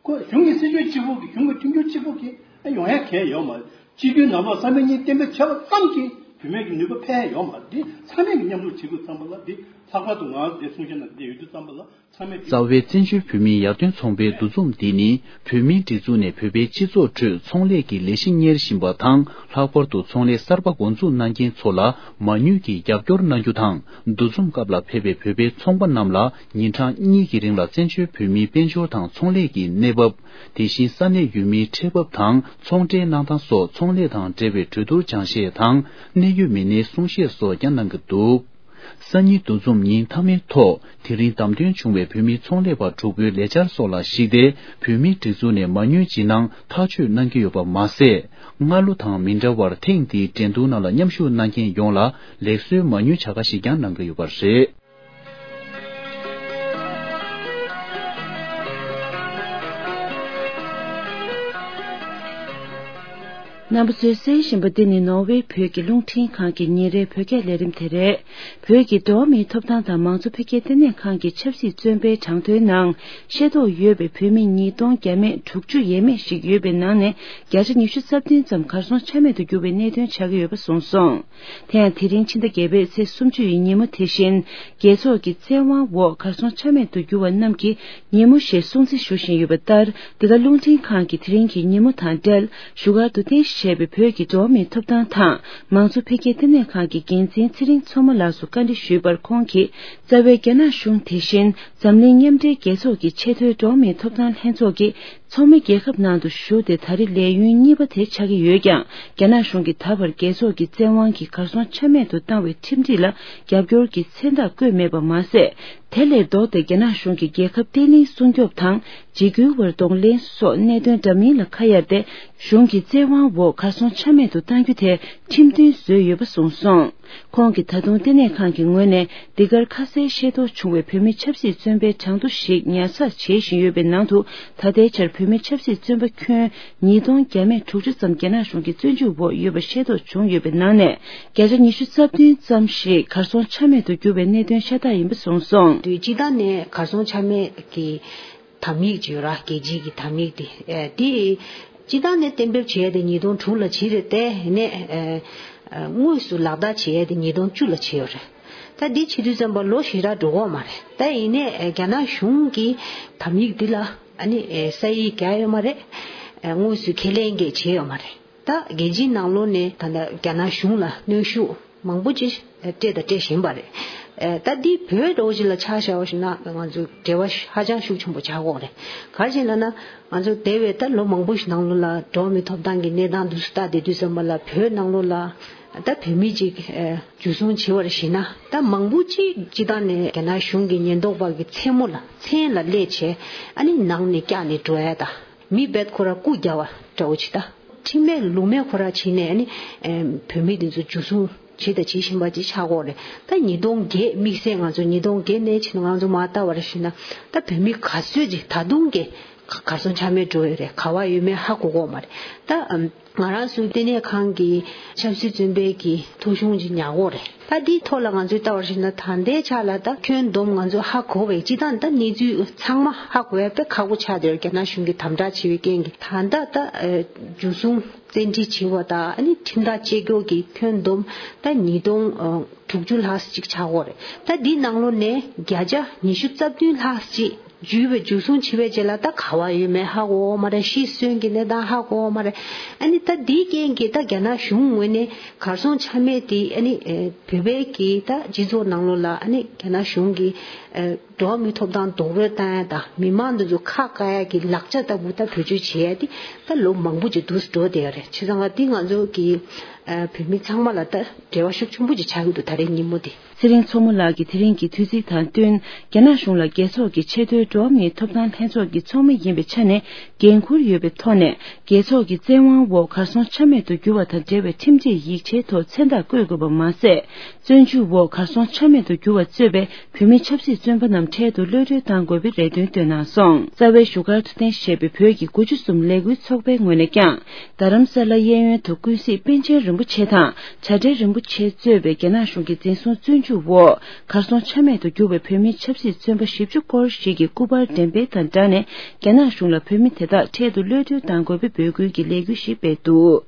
ཁོ་གཞུང་གི་སྲིད་ཇུས་གཅིག་པོ་གིས་གཞུང་གི་མཐུན་འགྱུར་གཅིག་པོ་གིས་ཡོང་ཡ་གང་ཡོད་མ་རེད། སྤྱི་འཐུས་ནང་ལོགས་ས་མིག་གཉིས་གཏན་འབེབས་བྱས་པ་ཙམ་གྱིས་བུད་མེད་ཀྱི་ནུས་པ་འཕེལ་ཡ་ཡོད་མ་རེད། འདི་ཚང་མས་ཀྱི་མཉམ་རུབ་བྱེད་དགོས་བསམ་པ་ལ་འདི་ལྷག་པར་དུ་ང་འདི་གསུང་བཤད་ནང་འདི་ཡོད་དུས་བསམ་པ་ལ་ཚང་མས་འདི། རྩ་བའི་བཙན་བྱོལ་བོད་མིའི་ཡར་ཐོན་ཚོང་པའི་འདུ་འཛོམས་འདི་ནི་བོད་མིའི་སྒྲིག་འཛུགས་ནས་བོད་པའི་སྤྱི་ཚོགས་ཁྲོད་ཚོང་ལས་ཀྱི་ལས་གཞི་གཉེར་བཞིན་པ་དང་། ལྷག་པར་དུ་ཚོང་ལས་གསར་པ་འགོ་འཛུགས་གནང་མཁན་ཚོ་ལ་མ་དངུལ་གྱི་རྒྱབ་སྐྱོར་གནང་རྒྱུ་དང་། འདུ་འཛོམས་སྐབས་ལ་ཕེབས་པའི་བོད་པའི་ཚོང་པ་རྣམས་ལ་ཉིན་གྲངས་གཉིས་ཀྱི་རིང་ལ་བཙན་བྱོལ་བོད་མིའི་དཔལ་འབྱོར་དང་ཚོང་ལས་ཀྱི་གནས་བབ། དེ་བཞིན་ས་གནས་ཡུལ་མིའི་འཕྲད་བབ་དང་ཚོང་འབྲེལ་གནང་སྟངས་སོགས་ཚོང་ལས་དང་འབྲེལ་བའི་གྲོས་བསྡུར་སྦྱང་བཤད་དང་གནད་ཡོད་མི་སྣའི་གསུང་བཤད་སོགས་ཀྱང་གནང་གི་འདུག་སང་ཉིན་འདུ་འཛོམས་ཉིན་མཐའ་མའི་ཐོག་དེ་རིང་བདམས་ཐོན་བྱུང་བའི་བོད་མི་ཚོང་ལས་པ་དྲུག་པོའི་ལས་འཆར་སོགས་ལ་གཞིགས་ཏེ། བོད་མིའི་སྒྲིག་འཛུགས་ནས་མ་དངུལ་སྦྱིན་གནང་ཐག་གཅོད་གནང་གི་ཡོད་པ་མ་ཟད། སྔ་ལོ་དང་མི་འདྲ་བར་ཐེངས་འདིའི་འགྲན་བསྡུར་ནང་ལ་མཉམ་ཞུགས་གནང་མཁན་ཡོངས་ལ་ལེགས་གསོའི་མ་དངུལ་བྱ་དགའ་ཞིག་ཀྱང་གནང་གི་ཡོད་པ་རེད། རྣམ་པ་ཚོས་གསན་བཞིན་པ་འདི་ནི་ནོར་ཝེ་བོད་ཀྱི་རླུང་འཕྲིན་ཁང་གི་ཉིན་རེའི་བོད་སྐད་ལས་རིམ་དེ་རེད། བོད་ཀྱི་འགྲོ་བ་མིའི་ཐོབ་ཐང་དང་མང་གཙོ་འཕེལ་རྒྱས་ལྟེ་གནས་ཁང་གི་ཆབ་སྲིད་བཙོན་པའི་གྲངས་ཐོའི་ནང་ཤེས་རྟོགས་ཡོད་པའི་བོད་མི་ཉིས་སྟོང་བརྒྱ་མེད་དྲུག་ཅུ་ཡས་མས་ཤིག་ཡོད་པའི་ནང་ནས་བརྒྱ་ཆ་ཉི་ཤུ་རྩ་བདུན་ཙམ་གར་སོང་ཆ་མེད་དུ་གྱུར་བའི་གནད་དོན་ཆགས་ཀྱི་ཡོད་པ་གསུངས་སོང་། དེ་ཡང་དེ་རིང་ཕྱི་ཟླ་བརྒྱད་པའི་ཚེས་སུམ་ཅུ་ཡི་ཉིན་མོ་དེ་བཞིན་རྒྱལ་ཚོགས་ཀྱི་བཙན་དབང་འོག་གར་སོང་ཆ་མེད་དུ་གྱུར་བ་རྣམས་ཀྱི་ཉིན་མོ་ཞེས་སྲུང་བརྩི་ཞུ་བཞིན་ཡོད་པ་ལྟར། འདི་ག་རླུང་འཕྲིན་ཁང་གིས་དེ་རིང་གི་ཉིན་མོ་དང་འབྲེལ་བཞུགས་སྒར་དུ་རྟེན་གཞི་བྱས་པའི་བོད་ཀྱི་འགྲོ་བ་མིའི་ཐོབ་ཐང་དང་མང་གཙོ་འཕེལ་རྒྱས་ལྟེ་གནས་ཁང་གི་འགན་འཛིན་ཚེ་རིང་མཚོ་མོ་ལགས་སུ་བཀའ་འདྲི་ཞུས་པར། ཁོང་གིས་རྩ་བའི་རྒྱ་ནག་གཞུང་དེ་བཞིན་འཛམ་གླིང་མཉམ་འབྲེལ་རྒྱལ་ཚོགས་ཀྱི་ཆེས་མཐོའི་འགྲོ་བ་མིའི་ཐོབ་ཐང་ལྷན་ཚོགས་ཀྱི་ཚོགས་མི་རྒྱལ་ཁབ་ནང་དུ་ཞུགས་ཏེ་ད་རེས་ལས་ཡུན་གཉིས་པ་དེ་ཆགས་ཀྱི་ཡོད་ཀྱང་། རྒྱ་ནག་གཞུང་གིས་ད་བར་རྒྱལ་ཚོགས་ཀྱི་བཙན་དབང་གིས་གར་སོང་ཆ་མེད་དུ་བཏང་བའི་ཁྲིམས་སྒྲིག་ལ་རྒྱབ་སྐྱོར་གྱི་མཚན་རྟགས་བཀོད་མེད་པ་མ་ཟད། དེ་ལས་ལྡོག་སྟེ་རྒྱ་ནག་གཞུང་གིས་རྒྱལ་ཁབ་བརྟན་ལྷིང་སྲུང་སྐྱོབ་དང་འཇིགས་སྐུལ་བར་གདོང་ལེན་སོགས་གནད་དོན་འདྲ་མིན་ལ་ཁ་གཡར་ཏེ། གཞུང་གི་བཙན་དབང་འོག་གར་སོང་ཆ་མེད་དུ་གཏང་རྒྱུ་དེ་ཁྲིམས་མཐུན་བཟོས་ཡོད་པ་གསུངས་སོང་། ཁོང་གིས་ད་དུང་ལྟེ་གནས་ཁང་གི་ངོས་ནས་འདི་གར་ཁ་གསལ་ཤེས་རྟོགས་བྱུང་བའི་བོད་མི་ཆབ་སྲིད་བཙོན་པའི་གྲངས་ཐོ་ཞིག་ཉར་ཚགས་བྱེད་བཞིན་ཡོད་པའི་ནང་དུ། ད་ལྟའི་ཆར་བོད་མི་ཆབ་སྲིད་བཙོན་པ་ཁྱོན་ཉིས་སྟོང་བརྒྱ་མེད་དྲུག་ཅུ་ཙམ་རྒྱ་ནག་གཞུང་གི་བཙོན་འཇུག་འོག་ཡོད་པ་ཤེས་རྟོགས་བྱུང་ཡོད་པའི་ནང་ནས། བརྒྱ་ཆ་ཉི་ཤུ་རྩ་བདུན་ཙམ་ཞིག་གར་སོང་ཆ་མེད་དུ་གྱུར་བའི་གནད་དོན་ཤ་སྟག་ཡིན་པ་གསུངས་སོང་། དུས་སྤྱི་བཏང་ནས་གར་སོང་ཆ་མེད་ཀྱི་དམ་ཡིག་ཅིག་ཡོད་ར། རྒྱལ་སྤྱིའི་གི་དམ་ཡིག་དེ། ཨེ། དེ་སྤྱི་བཏང་ནས་གཏན་འབེབས་བྱས་ཏེ་ཉིས་སྟོང་དྲུག་ལ་བྱས་རེད་དེ། ཡིན་ནའི་ཨེ། ཨེ། དངོས་སུ་ལག་བསྟར་བྱས་ཏེ་ཉིས་སྟོང་བཅུ་ལ་བྱས་ཡོད་རེད། ད་འདི་བྱེད་དུས་ཙམ་པ་ལོ་ཞེ་དྲག་འགྲོ་གི་ཡོད་མ་རེད། ད་ཡིན་ནའི་ཨེ། རྒྱ་ནག་གཞུང་གི་དམ་ཡིག་འདི་ལ་ཨ་ནི་ཨེ། ས་ཡིག་བརྒྱབ་ཡོད་མ་རེད། ཨེ། དངོས་སུ་ཁས་ལེན་གྱི་བྱས་ཡོད་མ་རེད། ད་རྒྱལ་སྤྱིའི་ནང་ལོགས་ནས་ད་ལྟ་རྒྱ་ནག་གཞུང་ལ་གནོན་ཤུགས་མང་པོ་ཅིག་སྤྲད་དང་སྤྲད་བཞིན་པ་རེད། ཨེ། ད་འདི་བོད་འདྲ་བོ་ཅིག་ལ་ཆ་བཞག་པ་ཞིག་ན་ང་ཚོ་འབྲེལ་བ་ཧ་ཅང་ཤུགས་ཆེན་པོ་ཆགས་ཀྱི་ཡོད་རེད། ག་རེ་ཡིན་ལབ་ན་ང་ཚོ་འདས་པའི་ད་ལོ་མང་པོ་ཞིག་ནང་ལོགས་ལ་འགྲོ་བ་མིའི་ཐོབ་ཐང་གི་གནས་སྟངས་འདི་ཚོ་ལྟ་བསྡད་དུས་ཙམ་པ་ལ་བོད་ནང་ལོགས་ལ་ད་བོད་མི་ཅིག་ཨེ། འཇུ་བཟུང་བྱས་པར་གཞིགས་ན། ད་མང་པོ་ཅིག་སྤྱི་བཏང་ནས་རྒྱ་ནག་གཞུང་གི་ཉེན་རྟོག་པ་གི་མཚན་མོ་ལ་མཚན་ལ་སླེབས་བྱས་ཨ་ནི་ནང་ནས་བཀྱགས་ནས་འགྲོ་ཡ། ད་མི་རྦད་ཁོ་ར་རྐུ་རྒྱག་པ་འདྲ་བོ་ཅིག་ད་ཁྲིམས་མེད་ལུགས་མེད་ཁོ་ར་བྱས་ནས་ཨ་ནི་ཨེ། བོད་མི་འདི་ཚོ་འཇུ་བཟུང་བྱས་དང་བྱེད་བཞིན་པ་ཅིག་ཆགས་ཀྱི་ཡོད་རེད། ད་ཉིས་སྟོང་བརྒྱད་དམིགས་བསལ་ང་ཚོ་ཉིས་སྟོང་བརྒྱད་ནས་བྱས་ན་ང་ཚོ་མར་ལྟ་བར་གཞིགས་ན་ད་བོད་མི་ག་ཚོད་ཅིག་ད་དུང་གི་ ག་གར་སོང་ཆ་མེད་འགྲོ་ཡོད་རེད། ག་བ་ཡོད་མེད་ཧ་གོ་གོ་མ་རེད། ད་ཨམ། ང་རང་ཚོའི་ལྟེ་གནས་ཁང་གི་ཆབ་སྲིད་བཙོན་པའི་གི་ཐོ་གཞུང་ཅིག་ཉར་གོ་རེད། ད་འདིའི་ཐོག་ལ་ང་ཚོས་ལྟ་བར་ཞིག་ན། ད་ལྟའི་ཆ་ལ་ད་ཁྱོན་བསྡོམས་ང་ཚོས་ཧ་གོ་བའི་སྤྱི་བཏང་ད་གནས་ཚུལ་ཚང་མ་ཧ་གོ་ཡ་དཔེ་ཁག་པོ་ཆགས་བསྡད་ཡོད། རྒྱ་ནག་གཞུང་གིས་དམ་དྲག་བྱེད་པའི་རྐྱེན་གྱིས། ད་ལྟ་ད་ཨ། འཇུ་བཟུང་བཙན་ཁྲིད་བྱེད་པ་དང་། ཨ་ནི་ཁྲིམས་ཐག་བཅད་རྒྱུ་གི་ཁྱོན་བསྡོམས་ད་ཉིས་སྟོང་དྲུག་ཅུ་ལྷག་ཅིག་ཆགས་ཡོད་རེད། ད་འདིའི་ནང་ལོགས་ནས་བརྒྱ་ཆ་ཉི་ཤུ་རྩ་བདུན་ལྷག་ཅིག་འཇུས་པའི། འཇུ་བཟུང་བྱས་པའི་རྗེས་ལ་ད་ག་བ་ཡོད་མེད་ཧ་གོ་མ་རེད། ཤི་གསོན་གྱི་གནས་སྟངས་ཧ་གོ་མ་རེད། ཨ་ནི་ད་འདིའི་རྐྱེན་གྱིས་ད་རྒྱ་ནག་གཞུང་ངོས་ནས་གར་སོང་ཆ་མེད་དེ། ཨ་ནི་ཨེ། བོད་པའི་གི་ད་སྤྱི་ཚོགས་ནང་ལོགས་ལ། ཨ་ནི་རྒྱ་ནག་གཞུང་གིས་ཨེ། འགྲོ་བ་མིའི་ཐོབ་ཐང་རྡོག་རོལ་བཏང་ཡ་དང་། མི་མང་འདི་ཚོ་ཁ་བཀག་ཡ་གི་ལག་ཆ་ལྟ་བུ་ད་བེད་སྤྱོད་བྱེད་ཡ་དེ་ད་ལོ་མང་པོ་ཅིག་འདུག་སེ་འགྲོ་བསྡད་ཡོད་རེད། བྱས་ཙང་ང་འདི་ང་ཚོ་གི་ཨ། བོད་མི་ཚང་མ་ལ་ད་འབྲེལ་བ་ཤུགས་ཆེན་པོ་ཅིག་ཆགས་ཀྱི་འདུག་ད་རེས་ཉིན་མོ་འདི། ཚེ་རིང་མཚོ་མོ་ལགས་ཀྱིས་དེ་རིང་གི་དུས་ཚིགས་དང་བསྟུན། རྒྱ་ནག་གཞུང་ལ་རྒྱལ་ཚོགས་ཀྱི་ཆེས་མཐོའི་འགྲོ་བ་མིའི་ཐོབ་ཐང་ལྷན་ཚོགས་ཀྱི་ཚོགས་མི་ཡིན་པའི་ཆ་ནས་འགན་འཁུར་ཡོད་པའི་ཐོག་ནས། རྒྱལ་ཚོགས་ཀྱི་བཙན་དབང་འོག་གར་སོང་ཆ་མེད་དུ་གྱུར་བ་དང་འབྲེལ་བའི་ཁྲིམས་སྒྲིག་ཡིག་ཆའི་ཐོག་མཚན་རྟགས་བཀོད་དགོས་པ་མ་ཟད། བཙོན་འཇུག་འོག་གར་སོང་ཆ་མེད་དུ་གྱུར་བ་གཙོས་པའི་བོད་མི་ཆབ་སྲིད་བཙོན་པ་རྣམས་འཕྲལ་དུ་གློད་གྲོལ་གཏང་དགོས་པའི་རེ་འདུན་བཏོན་གནང་སོང་། རྩ་བའི་བཞུགས་སྒར་དུ་རྟེན་གཞི་བྱས་པའི་བོད་ཀྱི་དགུ་བཅུ་གསུམ་ལས་འགུལ་ཚོགས་པའི་ངོས་ནས་ཀྱང་། རྡ་རམ་ས་ལ་གཡས་གཡོན་དུ་ཀུན་གཟིགས་པཎ་ཆེན་རིན་པོ་ཆེ་དང་། བྱ་བྲལ་རིན་པོ་ཆེ་གཙོས་པའི་རྒྱ་ནག་གཞུང་གི་འཛིན་བཟུང་བཙོན་འཇུག་འོག་གར་སོང་ཆ་མེད་དུ་གྱུར་བའི་བོད་མི་ཆབ་སྲིད་བཙོན་པ་བཞི་བཅུ་སྐོར་ཞིག་གི་སྐུ་པར་འགྲེམས་སྤེལ་དང་སྦྲགས་ནས། རྒྱ་ནག་གཞུང་ལ་བོད་མི་དེ་དག་འཕྲལ་དུ་གློད་གྲོལ་གཏང་དགོས་པའི་འབོད་སྐུལ་གྱི་ལས་འགུལ་ཞིག་སྤེལ་འདུག་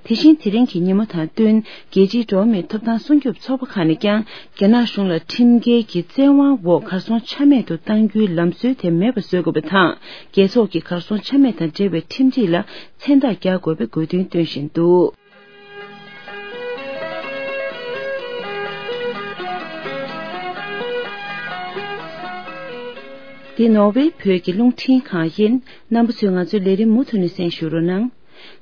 དེ་བཞིན་དེ་རིང་གི་ཉིན་མོ་དང་བསྟུན། རྒྱལ་སྤྱིའི་འགྲོ་བ་མིའི་ཐོབ་ཐང་སྲུང་སྐྱོབ་ཚོགས་པ་ཁག་ནས་ཀྱང་། རྒྱ་ནག་གཞུང་ལ་ཁྲིམས་འགལ་གྱི་བཙན་དབང་འོག་གར་སོང་ཆ་མེད་དུ་གཏང་རྒྱུའི་ལམ་སྲོལ་དེ་མེད་པ་བཟོ་དགོས་པ་དང་། རྒྱལ་ཚོགས་ཀྱི་གར་སོང་ཆ་མེད་དང་འབྲེལ་བའི་ཁྲིམས་སྒྲིག་ལ་མཚན་རྟགས་རྒྱག་དགོས་པའི་དགོས་འདུན་བཏོན་བཞིན་འདུག་འདི་ནོར་ཝེ་བོད་ཀྱི་རླུང་འཕྲིན་ཁང་ཡིན། རྣམ་པ་ཚོས་ང་ཚོའི་ལས་རིམ་མུ་མཐུད་ནས་གསན་ཞུ་རོགས་གནང་།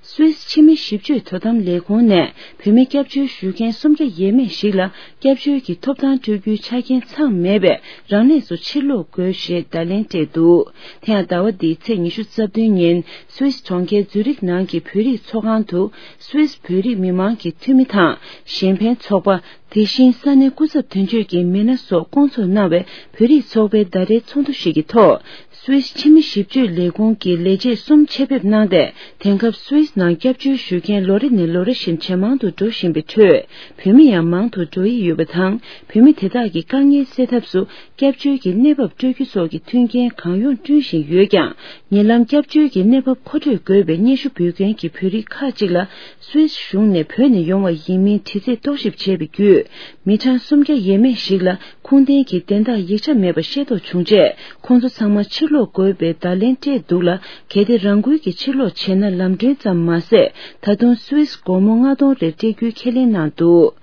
སུད་སི་ཕྱི་མི་ཞིབ་དཔྱོད་དོ་དམ་ལས་ཁུངས་ནས་བོད་མི་སྐྱབས་བཅོལ་ཞུ་མཁན་སུམ་བརྒྱ་ཡས་མས་ཤིག་ལ་སྐྱབས་བཅོལ་གྱི་ཐོབ་ཐང་སྤྲོད་རྒྱུའི་ཆ་རྐྱེན་ཚང་མེད་པས། རང་གནས་སུ་ཕྱིར་ལོག་དགོས་ཞེས་བརྡ་ལན་སྤྲད་འདུག་དེ་ཡང་ཟླ་བ་འདིའི་ཚེས་ཉི་ཤུ་རྩ་བདུན་ཉིན། སུད་སི་གྲོང་ཁྱེར་ཛུ་རིག་ནང་གི་བོད་རིགས་ཚོགས་ཁང་དུ། སུད་སི་བོད་རིགས་མི་མང་གི་འཐུས་མི་དང་། གཞན་ཕན་ཚོགས་པ། དེ་བཞིན་ས་གནས་སྐུ་ཚབ་དོན་གཅོད་ཀྱི་མི་སྣ་སོགས་བསྐོང་ཚོགས་གནང་བའི་བོད་རིགས་ཚོགས་པའི་ཟླ་རེའི་ཚོགས་འདུ་ཞིག་གི་ཐོག་སུད་སི་ཕྱི་མི་ཞིབ་དཔྱོད་ལས་ཁུངས་ཀྱི་ལས་བྱེད་གསུམ་ཆེད་ཕེབས་གནང་སྟེ། དེང་སྐབས་སུད་སི་ནང་སྐྱབས་བཅོལ་ཞུ་མཁན་ལོ་རེ་ནས་ལོ་རེ་བཞིན་ཇེ་མང་དུ་འགྲོ་བཞིན་པའི་ཁྲོད། བོད་མི་ཡང་མང་དུ་འགྲོ་ཡི་ཡོད་པ་དང་། བོད་མི་དེ་དག་གི་དཀའ་ངལ་སེལ་ཐབས་སུ། སྐྱབས་བཅོལ་གྱི་གནས་བབ་སྤྲོད་རྒྱུ་སོགས་ཀྱི་མཐུན་རྐྱེན་གང་ཡོང་བསྐྲུན་བཞིན་ཡོད་ཀྱང་། ཉེ་ལམ་སྐྱབས་བཅོལ་གྱི་གནས་བབ་མཁོ་སྤྲོད་དགོས་པའི་སྙན་ཞུ་འབུལ་མཁན་གྱི་བོད་རིགས་ཁག་ཅིག་ལ། སུད་སི་གཞུང་ནས་བོད་ནས་ཡོང་བ་ཡིན་མིན་དྲི་རྩད་རྟོག་ཞིབ་བྱས་པའི་བརྒྱུད། མི་གྲངས་སུམ་བརྒྱ་ཡས་མས་ཤིག་ལ་ཁུངས་ལྡན་གྱི་དན་རྟགས་ཡིག་ཆ་མེད་པ་ཤེས་རྟོགས་བྱུང་རྗེས། ཁོང་ཚོ་ཚང་མ་ཕྱིར་ལོག་དགོས་པའི་བརྡ་ལན་སྤྲད་འདུག་ལ། གལ་ཏེ་རང་འགུལ་གྱིས་ཕྱིར་ལོག་བྱས་ན། ལམ་གྲོན་ཙམ་མ་ཟད། ད་དུང་སུད་སི་སྒོར་མོ་ལྔ་སྟོང་རེ་སྤྲད་རྒྱུའི་ཁས་ལེན་གནང་འདུག་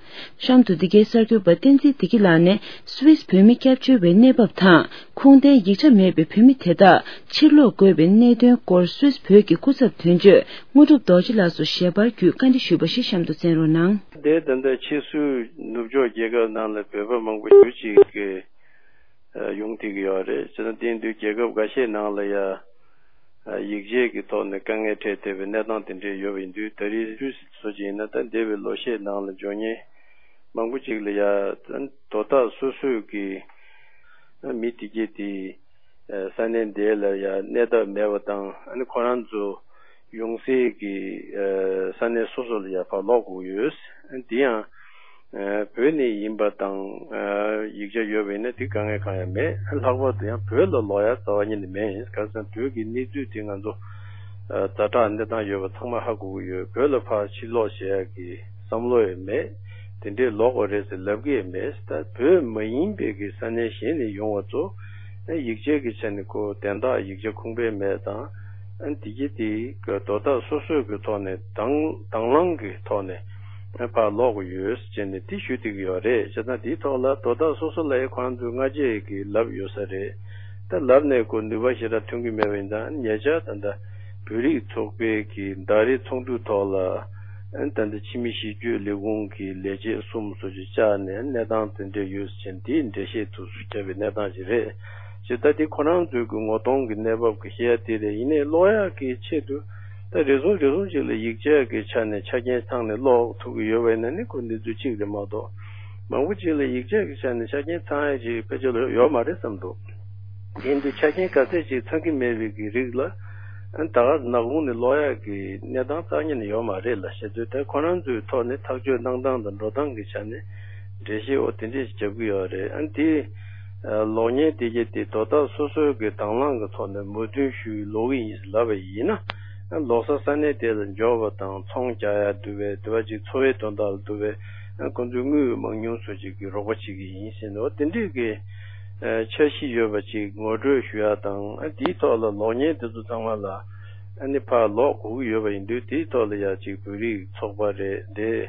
གཤམ་དུ་འདི་གའི་གསར་འགོད་པ་བསྟན་འཛིན་བདེ་སྐྱིད་ལགས་ནས། སུད་སི་བོད་མི་སྐྱབས་བཅོལ་བའི་གནས་བབ་དང་། ཁུངས་ལྡན་ཡིག་ཆ་མེད་པའི་བོད་མི་དེ་དག་ཕྱིར་ལོག་དགོས་པའི་གནད་དོན་སྐོར། སུད་སི་བོད་ཀྱི་སྐུ་ཚབ་དོན་གཅོད་དངོས་གྲུབ་རྡོ་རྗེ་ལགས་སུ་ཞལ་པར་བརྒྱུད་བཀའ་འདྲི་ཞུས་པ་ཞིག་གཤམ་དུ་གསན་རོགས་གནང་། དེ་ད་ལྟ་ཕྱིས་སུ་ནུབ་ཕྱོགས་རྒྱལ་ཁབ་ནང་ལ་བོད་པ་མང་པོ་ཞེ་ཅིག་གིས་ཡོང་བསྡད་ཀྱི་ཡོད་རེད། བྱས་ཙང་དེ་ཡིན་དུས་རྒྱལ་ཁབ་འགའ་ཤས་ནང་ལ་ཡ། ཡིག་ཆའི་གི་ཐོག་ནས་དཀའ་ངལ་འཕྲད་བསྡད་པའི་གནས་སྟངས་དེ་འདྲས་ཡོད་པ་ཡིན་དུས། ད་རེས་སུད་སི་བཟོ་ཅིག་ཡིན་ན། ད་འདས་པའི་ལོ་ཤས་ནང་ལ་འབྱོར་མཁན་མང་པོ་ཅིག་ལ་ཡ་དོ་བདག་སོ་སོའི་གི་མི་དེ་གྱད་དེ་ས་གནས་འདི་ལ་ཡ་གནས་ཐབས་མེད་པ་དང་། ཨ་ནི་ཁོ་རང་ཚོ་ཡོང་སའི་གི་ས་གནས་སོ་སོ་ལ་ཡ་ཕར་ལོག་དགོས་ཀྱི་ཡོད། དེ་ཡང་། ཨ། བོད་ནས་ཡིན་པ་དང་། ཨ། ཡིག་ཆ་ཡོད་པ་ཡིན་ན་དེ་དཀའ་ངལ་གང་ཡང་མེད། ལྷག་པར་དུ་ཡང་བོད་ལ་ལོག་ཡ་རྩ་བ་ཉིད་ནས་མེད། གང་ཟེར་ན་བོད་ཀྱི་གནས་ཚུལ་དེ་ང་ཚོ། ཨ། ཛ་དྲག་གནས་སྟངས་ཡོད་པ་ཚང་མ་ཧ་གོ་གི་ཡོད། བོད་ལ་ཕར་ཕྱིར་ལོག་བྱེད་ཡ་གི་བསམ་བློ་ཡང་མེད། དེ་འདྲས་ལོག་དགོས་རེད་ཟེར་ལབ་ཀྱི་ཡང་མེད། ད་བོད་མ་ཡིན་པའི་གི་ས་གནས་གཞན་ནས་ཡོང་བ་ཚོ། ཨ། ཡིག་ཆའི་གི་ཆ་ནས་ཁོ་དན་རྟགས་ཡིག་ཆ་ཁུངས་དཔེ་མེད་དང་། ཨ། དེ་གྱད་དེ་གི་དོ་བདག་སོ་སོའི་གི་ཐོག་ནས་དང་དང་བླངས་གི་ཐོག་ནས། ཕར་ལོག་གི་ཡོད་ཟེར་ནས་དེ་ཞུ་བསྡད་ཀྱི་ཡོད་རེད། བྱས་ཙང་དེའི་ཐོག་ལ་དོ་བདག་སོ་སོ་ལ་ཡང་ཁོ་རང་ཚོས་སྔ་རྗེས་ཀྱི་ལབ་ཡོད་ས་རེད། ད་ལབ་ནས་ཁོ་ནུས་པ་ཞེ་དྲག་ཐོན་གྱི་མེད་པ་ཡིན་ཙང་། ཉེ་ཆར་ད་ལྟ་བོད་རིགས་ཚོགས་པའི་གི་ཟླ་རེའི་ཚོགས་འདུའི་ཐོག་ལ། ཨ། ད་ལྟ་ཕྱི་མི་ཞིབ་དཔྱོད་ལས་ཁུངས་ཀྱི་ལས་བྱེད་གསུམ་སོགས་ཀྱིས་བཅར་ནས་གནས་སྟངས་དེ་འདྲ་ཡོད་ཟེར་ནས་དེའི་འགྲེལ་བཤད་ཐུགས་སུ་བརྒྱབ་པའི་གནས་སྟངས་ཤིག་རེད། ཅེས། ད་དེ་ཁོ་རང་ཚོའི་གི་ངོ་གདོང་གི་གནས་བབ་ཀྱི་བཤད་ཡ་དེ་རེད། ཡིན་ནའི་ལོག་ཡག་གི་ཆེད་དུ་ད་རེ་ཟུང་རེ་ཟུང་ཅིག་ལ་ཡིག་ཆ་གི་ཆ་ནས་ཆ་རྐྱེན་ཚང་ནས་ལོག་ཐུབ་ཀྱི་ཡོད་པ་ཡིན་ན་ནི་ཁོ་འདི་ཚོ་གཅིག་རེད་མ་གཏོགས། མང་པོ་ཅིག་ལ་ཡིག་ཆ་གི་ཆ་ནས་ཆ་རྐྱེན་ཚང་ཡ་ཅིག་ཕལ་ཆེར་ལ་ཡོད་མ་རེད་བསམ་འདུག་ཡིན་དུས་ཆ་རྐྱེན་ག་ཚད་ཅིག་ཚང་གི་མེད་པའི་གི་རིགས་ལ། ཨ་ད་ག་ནག་ཁུང་ནས་ལོག་ཡག་གི་གནས་སྟངས་རྩ་ཉིད་ནས་ཡོད་མ་རེད་ལ། བྱེད་དུས་ད་ཁོ་རང་ཚོའི་ཐོག་ནས་ཐག་གཅོད་གནང་སྟངས་དང་འགྲོ་སྟངས་ཀྱི་ཆ་ནས་འགྲེལ་བཤད་འོ་དེ་འདྲས་རྒྱབ་ཀྱི་ཡོད་རེད། ཨ་དེ་ལོག་མཁན་དེ་གྱད་དེ་དོ་བདག་སོ་སོའི་གི་དང་བླངས་ཀྱི་ཐོག་ནས་མོས་མཐུན་ཞུས་ལོག་གི་ཡིན་ལབ་པ་ཡིན་ན། ཨ་ལོགས་ས་ས་གནས་དེ་ལ་འབྱོར་བ་དང་ཚོང་རྒྱག་ཡག་འདུག་པས། དེ་བ་ཅིག་འཚོ་བའི་དོན་དག་ལ་འདུག་པས། ཨ་ཁོང་ཚོའི་དངུལ་མང་ཉུང་སོགས་ཅིག་གི་རོགས་པ་བྱེད་ཀྱི་ཡིན་ཟེར་ནས་འོ་དེ་འདྲས་ཀྱི་ཨ་འཆར་གཞི་ཡོད་པ་ཅིག་ངོ་སྤྲོད་ཞུ་ཡག་དང་། ཨ་དེའི་ཐོག་ལ་ལོག་མཁན་དེ་ཚོ་ཚང་མ་ལ་ཨ་ནི་ཕར་ལོག་དགོས་ཀྱི་ཡོད་པ་ཡིན་དུས། དེའི་ཐོག་ལ་ཡ་ཅིག་བོད་རིགས་ཚོགས་པ་རེད་དེ།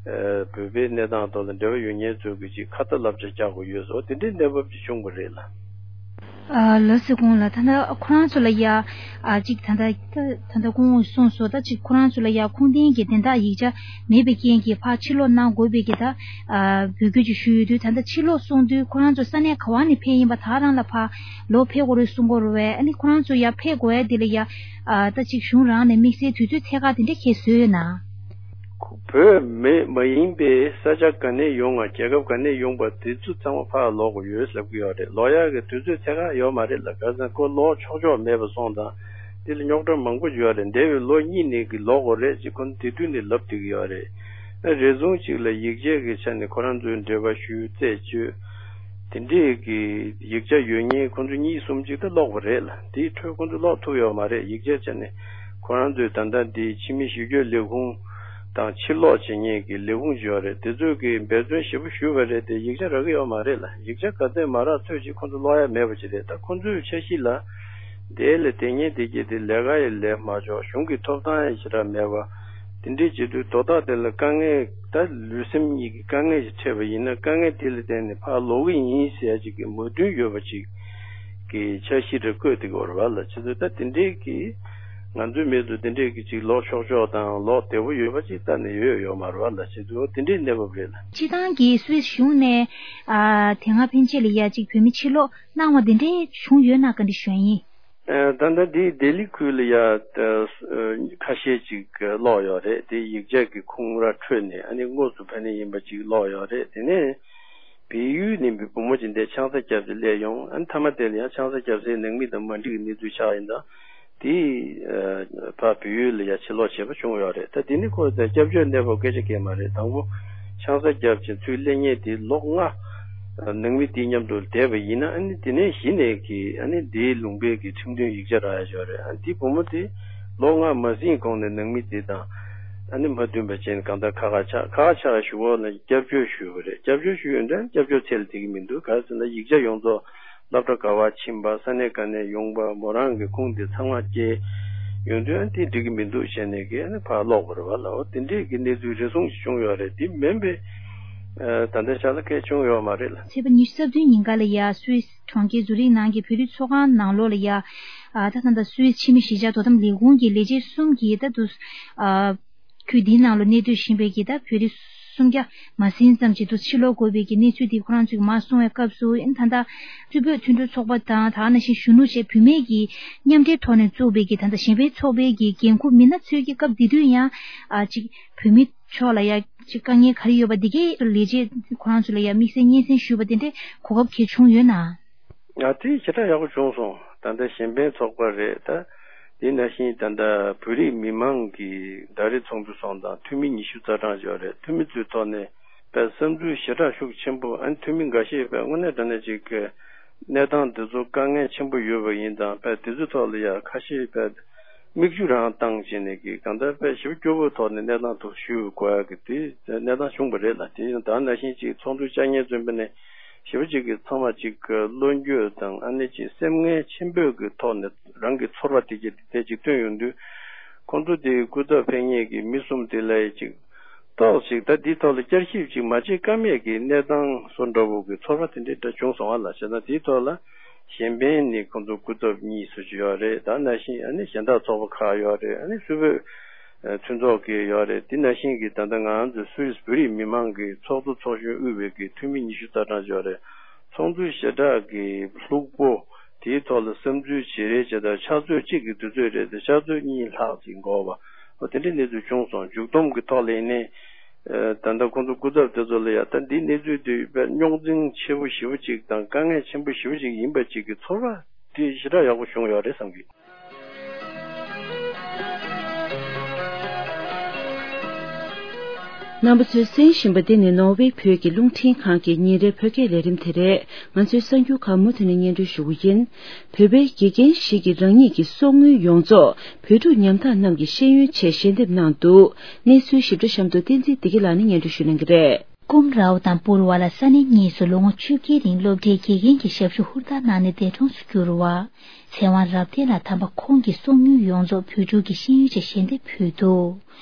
ཨ་བོད་པའི་གནས་སྟངས་ཐོག་ལ་འབྲེལ་བ་ཡོད་མཁན་ཚོས་ཀྱི་ཅིག་ཁ་ཏ་བསླབ་བྱ་རྒྱག་དགོས་ཡོད་སོགས་དེ་འདྲའི་གནས་བབ་ཅིག་བྱུང་བ་རེད་ལ། ཨ་ལགས་སོ། གོང་ལ་ད་ལྟ་ཁོ་རང་ཚོ་ལ་ཡ་ཨ་ཅིག་ད་ལྟ་ད་ལྟ་གོང་གསུངས་སོང་། ད་ཅིག་ཁོ་རང་ཚོ་ལ་ཡ་ཁུངས་ལྡན་གྱི་དོན་དག་ཡིག་ཆ་མེད་པའི་རྐྱེན་གྱིས་ཕར་ཕྱིར་ལོག་གནང་དགོས་པའི་གི་ད་ཨ་འབོད་སྐུལ་ཅིག་ཞུས་ཡོད་དུས། ད་ལྟ་ཕྱིར་ལོག་སོང་དུས་ཁོ་རང་ཚོ་ས་གནས་ག་བ་ནས་ཕེབས་ཡིན་པ་དག་རང་ལ་ཕར་ལོག་ཕེབས་དགོས་རེད་གསུང་གི་ཡོད་རེད་པས། ཨ་ནི་ཁོ་རང་ཚོ་ཡ་ཕེབས་དགོས་ཡ་དེ་ལ་ཡ་ཨ་ད་ཅིག་གཞུང་རང་ནས་དམིགས་བསལ་དུས་ཚོད་ཐད་ཀར་དེ་འདྲ་ཁྱེད་བཟོས་ཡོད་ན། བོད་མི་མ་ཡིན་པའི་ས་ཆ་ག་ནས་ཡོང་ང་རྒྱལ་ཁབ་ག་ནས་ཡོང་པ་དེ་ཚོ་ཚང་མ་ཕར་ལོག་དགོས་ཡོད་ལབ་ཀྱི་ཡོད་རེད། ལོག་ཡག་གི་དུས་ཚོད་ཐད་ཀར་ཡོད་མ་རེད་ལ། ག་ཚོད་ཁོ་ལོག་ཆོག་ཆོག་མེད་པ་སོང་དང་། དེ་ལ་རྙོག་དྲ་མང་པོ་ཡོད་རེད། འདས་པའི་ལོ་གཉིས་ནས་ཀྱི་ལོག་དགོས་རེད་ཅེས་ཁོ་ཚོ་དེ་དུས་ནས་ལབ་བསྡད་ཀྱི་ཡོད་རེད། ཨ་རེ་ཟུང་ཅིག་ལ་ཡིག་ཆ་གི་ཆ་ནས་ཁོ་རང་ཚོའི་འབྲེལ་བ་ཞུས་རྩད་གཅོད། དེ་འདྲས་ཀྱི་ཡིག་ཆ་ཡོད་མཁན་ཁོ་ཚོ་གཉིས་གསུམ་ཅིག་ད་ལོག་པ་རེད་ལ། དེའི་འཕྲོས་ཁོ་ཚོ་ལོག་ཐུབ་ཡོད་མ་རེད། ཡིག་ཆ་བྱས་ནས་ཁོ་རང་ཚོའི་ད་ལྟ་འདི་ཕྱི་མི་ཞི་གཅོད་ལས་ཁུངས་དང་ཕྱིར་ལོག་བྱེད་མཁན་གྱི་ལས་ཁུངས་ཅིག་ཡོད་རེད། དེ་ཚོས་ཀྱི་འབད་བརྩོན་ཞེ་པོ་ཞུས་པ་རེད་དེ། ཡིག་ཆ་རག་གི་ཡོད་མ་རེད་ལ། ཡིག་ཆ་ག་ཚད་མ་རག་ཚོད་ཅིག་ཁོ་ཚོ་ལོག་ཡ་མེད་པ་ཅིག་རེད། ད་ཁོ་ཚོའི་འཆར་གཞི་ལ་དེ་ལས་དེ་ཉིད་དེ་གྱད་དེ་ལས་ཀ་ཡི་ལས་མ་ཆོག་གཞུང་གི་ཐོབ་ཐང་ཡང་ཞེ་དྲག་མེད་པ། དེ་འདྲའི་བྱེད་དུས་དོ་བདག་དེ་ལ་དཀའ་ངལ། ད་ལུས་སེམས་གཉིས་ཀྱི་དཀའ་ངལ་ཞིག་འཕྲད་པ་ཡིན་ན། དཀའ་ངལ་དེ་ལ་བརྟེན་ནས་ཕར་ལོག་གི་ཡིན་ཟེར་ཡ་ཅིག་གི་མོས་མཐུན་ཡོད་པ་ཅིག་གི་འཆར་གཞི་རེ་བཀོད་དེ་གི་ཡོད་རེད་པ་ལ། བྱེད་དུས་ད་དེ་འདྲའི་གི་ང་ཚོའི་མི་ཚོ་དེ་འདྲའི་གི་ཅིག་ལོག་ཆོག་ཆོག་དང་ལོག་བདེ་པོ་ཡོད་པ་ཅིག་གཏན་ནས་ཡོད་ཡོད་མ་རེད་པ་ལ། བྱེད་དུས་འོ་དེ་འདྲའི་གནས་བབ་རེད་ལ། སྤྱིར་བཏང་གི་སུད་སི་གཞུང་ནས་ཨ་དེ་སྔ་ཕན་ཆད་ལ་ཡ་ཅིག་བོད་མི་ཕྱིར་ལོག་གནང་བ་དེ་འདྲའི་བྱུང་ཡོད་ན་བཀའ་འདྲི་ཞུ་ཡ་ཡིན། ཨ་ད་ལྟ་འདི་ལྡི་ལི་ཁུལ་ལ་ཡ་ཨ་ཁ་ཤས་ཅིག་ལོག་ཡོད་རེད། དེ་ཡིག་ཆ་གི་ཁུངས་ར་འཕྲོད་ནས་ཨ་ནི་དངོས་སུ་ཕ་ནས་ཡིན་པ་ཅིག་ལོག་ཡོད་རེད། དེ་ནས་བལ་ཡུལ་ནས་བུ་མོ་ཅིག་འདིར་ཆང་ས་བརྒྱབ་སྟེ་སླེབས་ཡོང་། ཨ་ནི་མཐའ་མ་དེ་ལ་ཡང་ཆང་ས་བརྒྱབ་སའི་ནང་མི་དང་མ་འགྲིག་གི་གནས་ཚུལ་ཆགས་ཡིན་ཙང་། དེ་ཨ་ཕར་བལ་ཡུལ་ལ་ཡ་ཕྱིར་ལོག་བྱས་པ་བྱུང་ཡོད་རེད། ད་དེ་ནི་ཁོ་ཚོས་སྐྱབས་བཅོལ་གནས་བབ་སྐད་ཆ་བཤད་མ་རེད། དང་པོ་ཆང་ས་བརྒྱབ་ཅིང་ཚུར་སླེབས་མཁན་དེ་ལོ་ལྔ་ནང་མི་དེའི་མཉམ་དུ་བསྡད་པ་ཡིན་ན། ཨ་ནི་དེ་ནས་གཞི་ནས་ཀྱི་ཨ་ནི་དེའི་ལུང་པའི་གི་ཁྲིམས་མཐུན་ཡིག་ཆ་རག་ཡ་ཡོད་རེད། ཨ་ནི་དེ་བུ་མོ་དེ་ལོ་ལྔ་མ་ཟིན་གོང་ནས་ནང་མི་དེ་དང་ཨ་ནི་མ་མཐུན་པ་བྱས་ནས་གང་ལྟར་ཁ་ཁ་ཆགས། ཁ་ཁ་ཆགས་ཞུ་བ་ལ་སྐྱབས་བཅོལ་ཞུས་པ་རེད། སྐྱབས་བཅོལ་ཞུས་ཡོད་འདྲ། སྐྱབས་བཅོལ་ཚད་ལ་བསྡད་ཀྱི་མི་འདུག་ག་རེ་ཟེར་ན་ཡིག་ཆ་ཡོངས་རྫོགས་སློབ་གྲྭ་ག་བར་ཕྱིན་པ། ས་གནས་ག་ནས་ཡོང་པ། མོ་རང་གི་ཁུངས་དེ་ཚང་མ་བསྐྱལ་ཡོང་དུས་ཨ་ནི་དེ་འགྲིག་གི་མི་འདུག་བྱས་ནས་ཀྱི་ཨ་ནི་ཕར་ལོག་པ་རེད་པ་ལ། འོ་དེ་འདྲས་ཀྱི་གནས་ཚུལ་རེ་ཟུང་ཞིག་བྱུང་ཡོད་རེད། དེ་མིན་པའི་ཨ་ད་ལྟའི་ཆ་ལ་གལ་བྱུང་ཡོད་མ་རེད་ལ། ཚེས་པ་ཉི་ཤུ་རྩ་བདུན་ཉིན་ཀ་ལ་ཡ་སུད་སི་གྲོང་ཁྱེར་ཛུ་རིག་ནང་གི་བོད་རིགས་ཚོགས་ཁང་ནང་ལོགས་ལ་ཡ་ཨ་ད་ད་ལྟ་སུད་སི་ཕྱི་མི་གཞིས་ཆགས་དོ་དམ་ལས་ཁུངས་ཀྱི་ལས་བྱེད་གསུམ་གྱིས་ད་དུ་ཨ་ཁུལ་འདིའི་ནང་ལ་གནས་སྡོད་བཞིན་པའི་གི་ད་བོད་རིགས་སུམ་བརྒྱ་མ་ཟིན་ཙམ་ཅིག་ཏུ་ཕྱིར་ལོག་དགོས་པའི་གི་གནས་ཚུལ་འདི་ཁོ་རང་ཚོས་མར་གསུངས་པའི་སྐབས་སུ། ཨ་ནི་ད་ལྟ་རྩིས་འབོད་མཐུན་གྲོགས་ཚོགས་པ་དང་། ད་ག་ནང་བཞིན་གཞོན་ནུ་བཅས་བུད་མེད་ཀྱི་མཉམ་འབྲེལ་ཐོག་ནས་བཙུགས་པའི་གི་ད་ལྟ་གཞན་ཕན་ཚོགས་པའི་གི་འགན་འཁུར་མི་སྣ་ཚོས་ཀྱི་སྐབས་དེ་དུས་ཡང་ཨ་ཅིག་བོད་མི་ཕྱོགས་ལ་ཡ་ཅིག་དཀའ་ངལ་ག་རེ་ཡོད་པ་འདི་གའི་ལས་བྱེད་ཁོ་རང་ཚོ་ལ་ཡ་དམིགས་བསལ་སྙན་སེང་ཞུས་པ་དེ་འདྲའི་གོ་སྐབས་གལ་བྱུང་ཡོད་ན། ང་དེ་ཞེ་དྲག་ཡག་པོ་བྱུང་སོང་། ད་ལྟ་གཞན་ཕན་ཚོགས་པ་རེད། ད་དེ་ནང་བཞིན་ད་ལྟ་བོད་རིགས་མི་མང་གི་ཟླ་རེ་ཚོགས་འདུ་སོང་དང་། འཐུས་མི་ཉི་ཤུ་རྩ་གྲངས་ཡོད་རེད། འཐུས་མི་ཚོའི་ཐོག་ནས་དཔེ་བསམ་ཚུལ་ཞེ་དྲག་ཤུགས་ཆེན་པོ། ཨ་ནི་འཐུས་མི་འགའ་ཤས་དཔེ་དངོས་གནས་དྲང་གནས་ཅིག་གི་གནས་སྟངས་འདི་ཚོ་དཀའ་ངལ་ཆེན་པོ་ཡོད་པ་ཡིན་ཙང་། དཔེ་དེ་ཚོའི་ཐོག་ལ་ཡ་ཁ་ཤས་དཔེ་མིག་ཆུ་རང་བཏང་བྱས་ནས་ཀྱི་གང་ལྟར་དཔེ་ཞེ་པོ་སྐྱོ་བོའི་ཐོག་ནས་གནས་སྟངས་ཐོག་ཞུ་དགོས་ཡ་གི་དེ་གནས་སྟངས་བྱུང་བ་རེད་ལ། དེ་ཡང་ད་ནང་བཞིན་ཅིག་ཚོགས་འདུ་བཅར་མཁན་ཚོ་ཡིན་པ་ནས་ཞེ་པོ་ཅིག་གི་ཚང་མ་ཅིག་གི་བློ་འགྱོད་དང་། ཨ་ནི་ཅིག་སེམས་ངལ་ཆེན་པོའི་གི་ཐོག་ནས་རང་གི་ཚོར་བ་དེ་གྱད་དེ་ཅིག་བཏོན་ཡོང་དུས། ཁོང་ཚོ་དེའི་སྐུ་ཚབ་ཕེབས་མཁན་གྱི་མི་གསུམ་དེ་ལ་ཡ་ཅིག་ཏོག་ཅིག་ད་འདིའི་ཐོག་ལ་བསྐྱར་ཞིབ་ཅིག་མ་བྱེད་ཀ་མེད་ཀྱི་གནས་སྟངས་བཟོ་འདྲ་བོ་གི་ཚོར་བ་དེ་འདྲའི་འདྲ་བྱུང་སོང་བ་ལ། བྱས་ན་དེའི་ཐོག་ལ་གཞན་ཕན་ནི་ཁོང་ཚོ་སྐུ་ཚབ་གཉིས་སུ་ཅིག་ཡོད་རེད། ད་ནང་བཞིན་ཨ་ནི་གཞན་དག་ཚོགས་པ་ཁག་ཡོད་རེད། ཨ་ནི་སུད་བོད་ཨ་མཐུན་ཚོགས་ཀྱི་ཡོད་རེད། དེ་ནང་བཞིན་གྱི་ད་ལྟ་ང་ཚོ་སུད་སི་བོད་རིགས་མི་མང་གི་ཚོགས་གཙོ་ཚོགས་གཞོན་དབུས་པའི་གི་འཐུས་མི་ཉི་ཤུ་རྩ་གྲངས་ཡོད་རེད། ཚོགས་འདུ་ཞེ་དྲག་གི་ལྷུག་པོ་དེའི་ཐོག་ལ་བསམ་ཚུལ་བརྗེ་རེས་བྱེད་སྟངས་ཕྱག་ཚོད་གཅིག་གི་དུས་ཚོད་རེད་དེ། ཕྱག་ཚོད་གཉིས་ལྷག་ཅིག་འགོར་བ། འོ་དེ་འདྲའི་གནས་ཚུལ་བྱུང་སོང་། མཇུག་བསྡོམས་ཀྱི་ཐོག་ལ་ཡིན་ནའི། ད་ལྟ་ཁོང་ཚོ་སྐུ་ཚབ་དེ་ཚོ་ལ་ཡ་ད་འདིའི་གནས་ཚུལ་དེ་རྙོག་འཛིང་ཆེ་པོ་ཞེ་པོ་ཅིག་དང་དཀའ་ངལ་ཆེན་པོ་ཞེ་པོ་ཅིག་ཡིན་པ་ཅིག་གི་ཚོར་བ་དེ་ཞེ་དྲག་ཡག་པོ་བྱུང་ཡོད་རེད་བསམ་གི། རྣམ་པ་ཚོས་གསན་བཞིན་པ་འདི་ནི་ནོར་ཝེ་བོད་ཀྱི་རླུང་འཕྲིན་ཁང་གི་ཉིན་རེའི་བོད་སྐད་ལས་རིམ་དེ་རེད། ང་ཚོའི་གསར་འགྱུར་ཁག་མུ་མཐུད་ནས་སྙན་སྒྲོན་ཞུ་གི་ཡིན། བོད་པའི་དགེ་རྒན་ཞིག་གིས་རང་ཉིད་ཀྱི་གསོག་དངུལ་ཡོངས་རྫོགས་བོད་ཕྲུག་ཉམ་ཐག་རྣམས་ཀྱི་ཤེས་ཡོན་ཆེད་ཞལ་འདེབས་གནང་འདུག་གནས་ཚུལ་ཞིབ་ཕྲ་གཤམ་དུ་བསྟན་འཛིན་བདེ་སྐྱིད་ལགས་ནས་སྙན་སྒྲོན་ཞུ་གནང་གི་རེད། ཀུམ་རའོ་དང་པུར་ཝ་ལ་ས་གནས་གཉིས་སུ་ལོ་ངོ་བཅོ་བརྒྱད་རིང་སློབ་གྲྭའི་དགེ་རྒན་གྱི་ཞབས་ཞུ་ཧུར་ཐག་གནང་ནས་འདས་གྲོངས་སུ་གྱུར་བ། ཚེ་དབང་རབ་བརྟན་ལགས་དམ་པ་ཁོང་གི་གསོག་དངུལ་ཡོངས་རྫོགས་བོད་ཕྲུག་གི་ཤེས་ཡོན་ཆེད་ཞལ་འདེབས་ཕུལ་འདུག་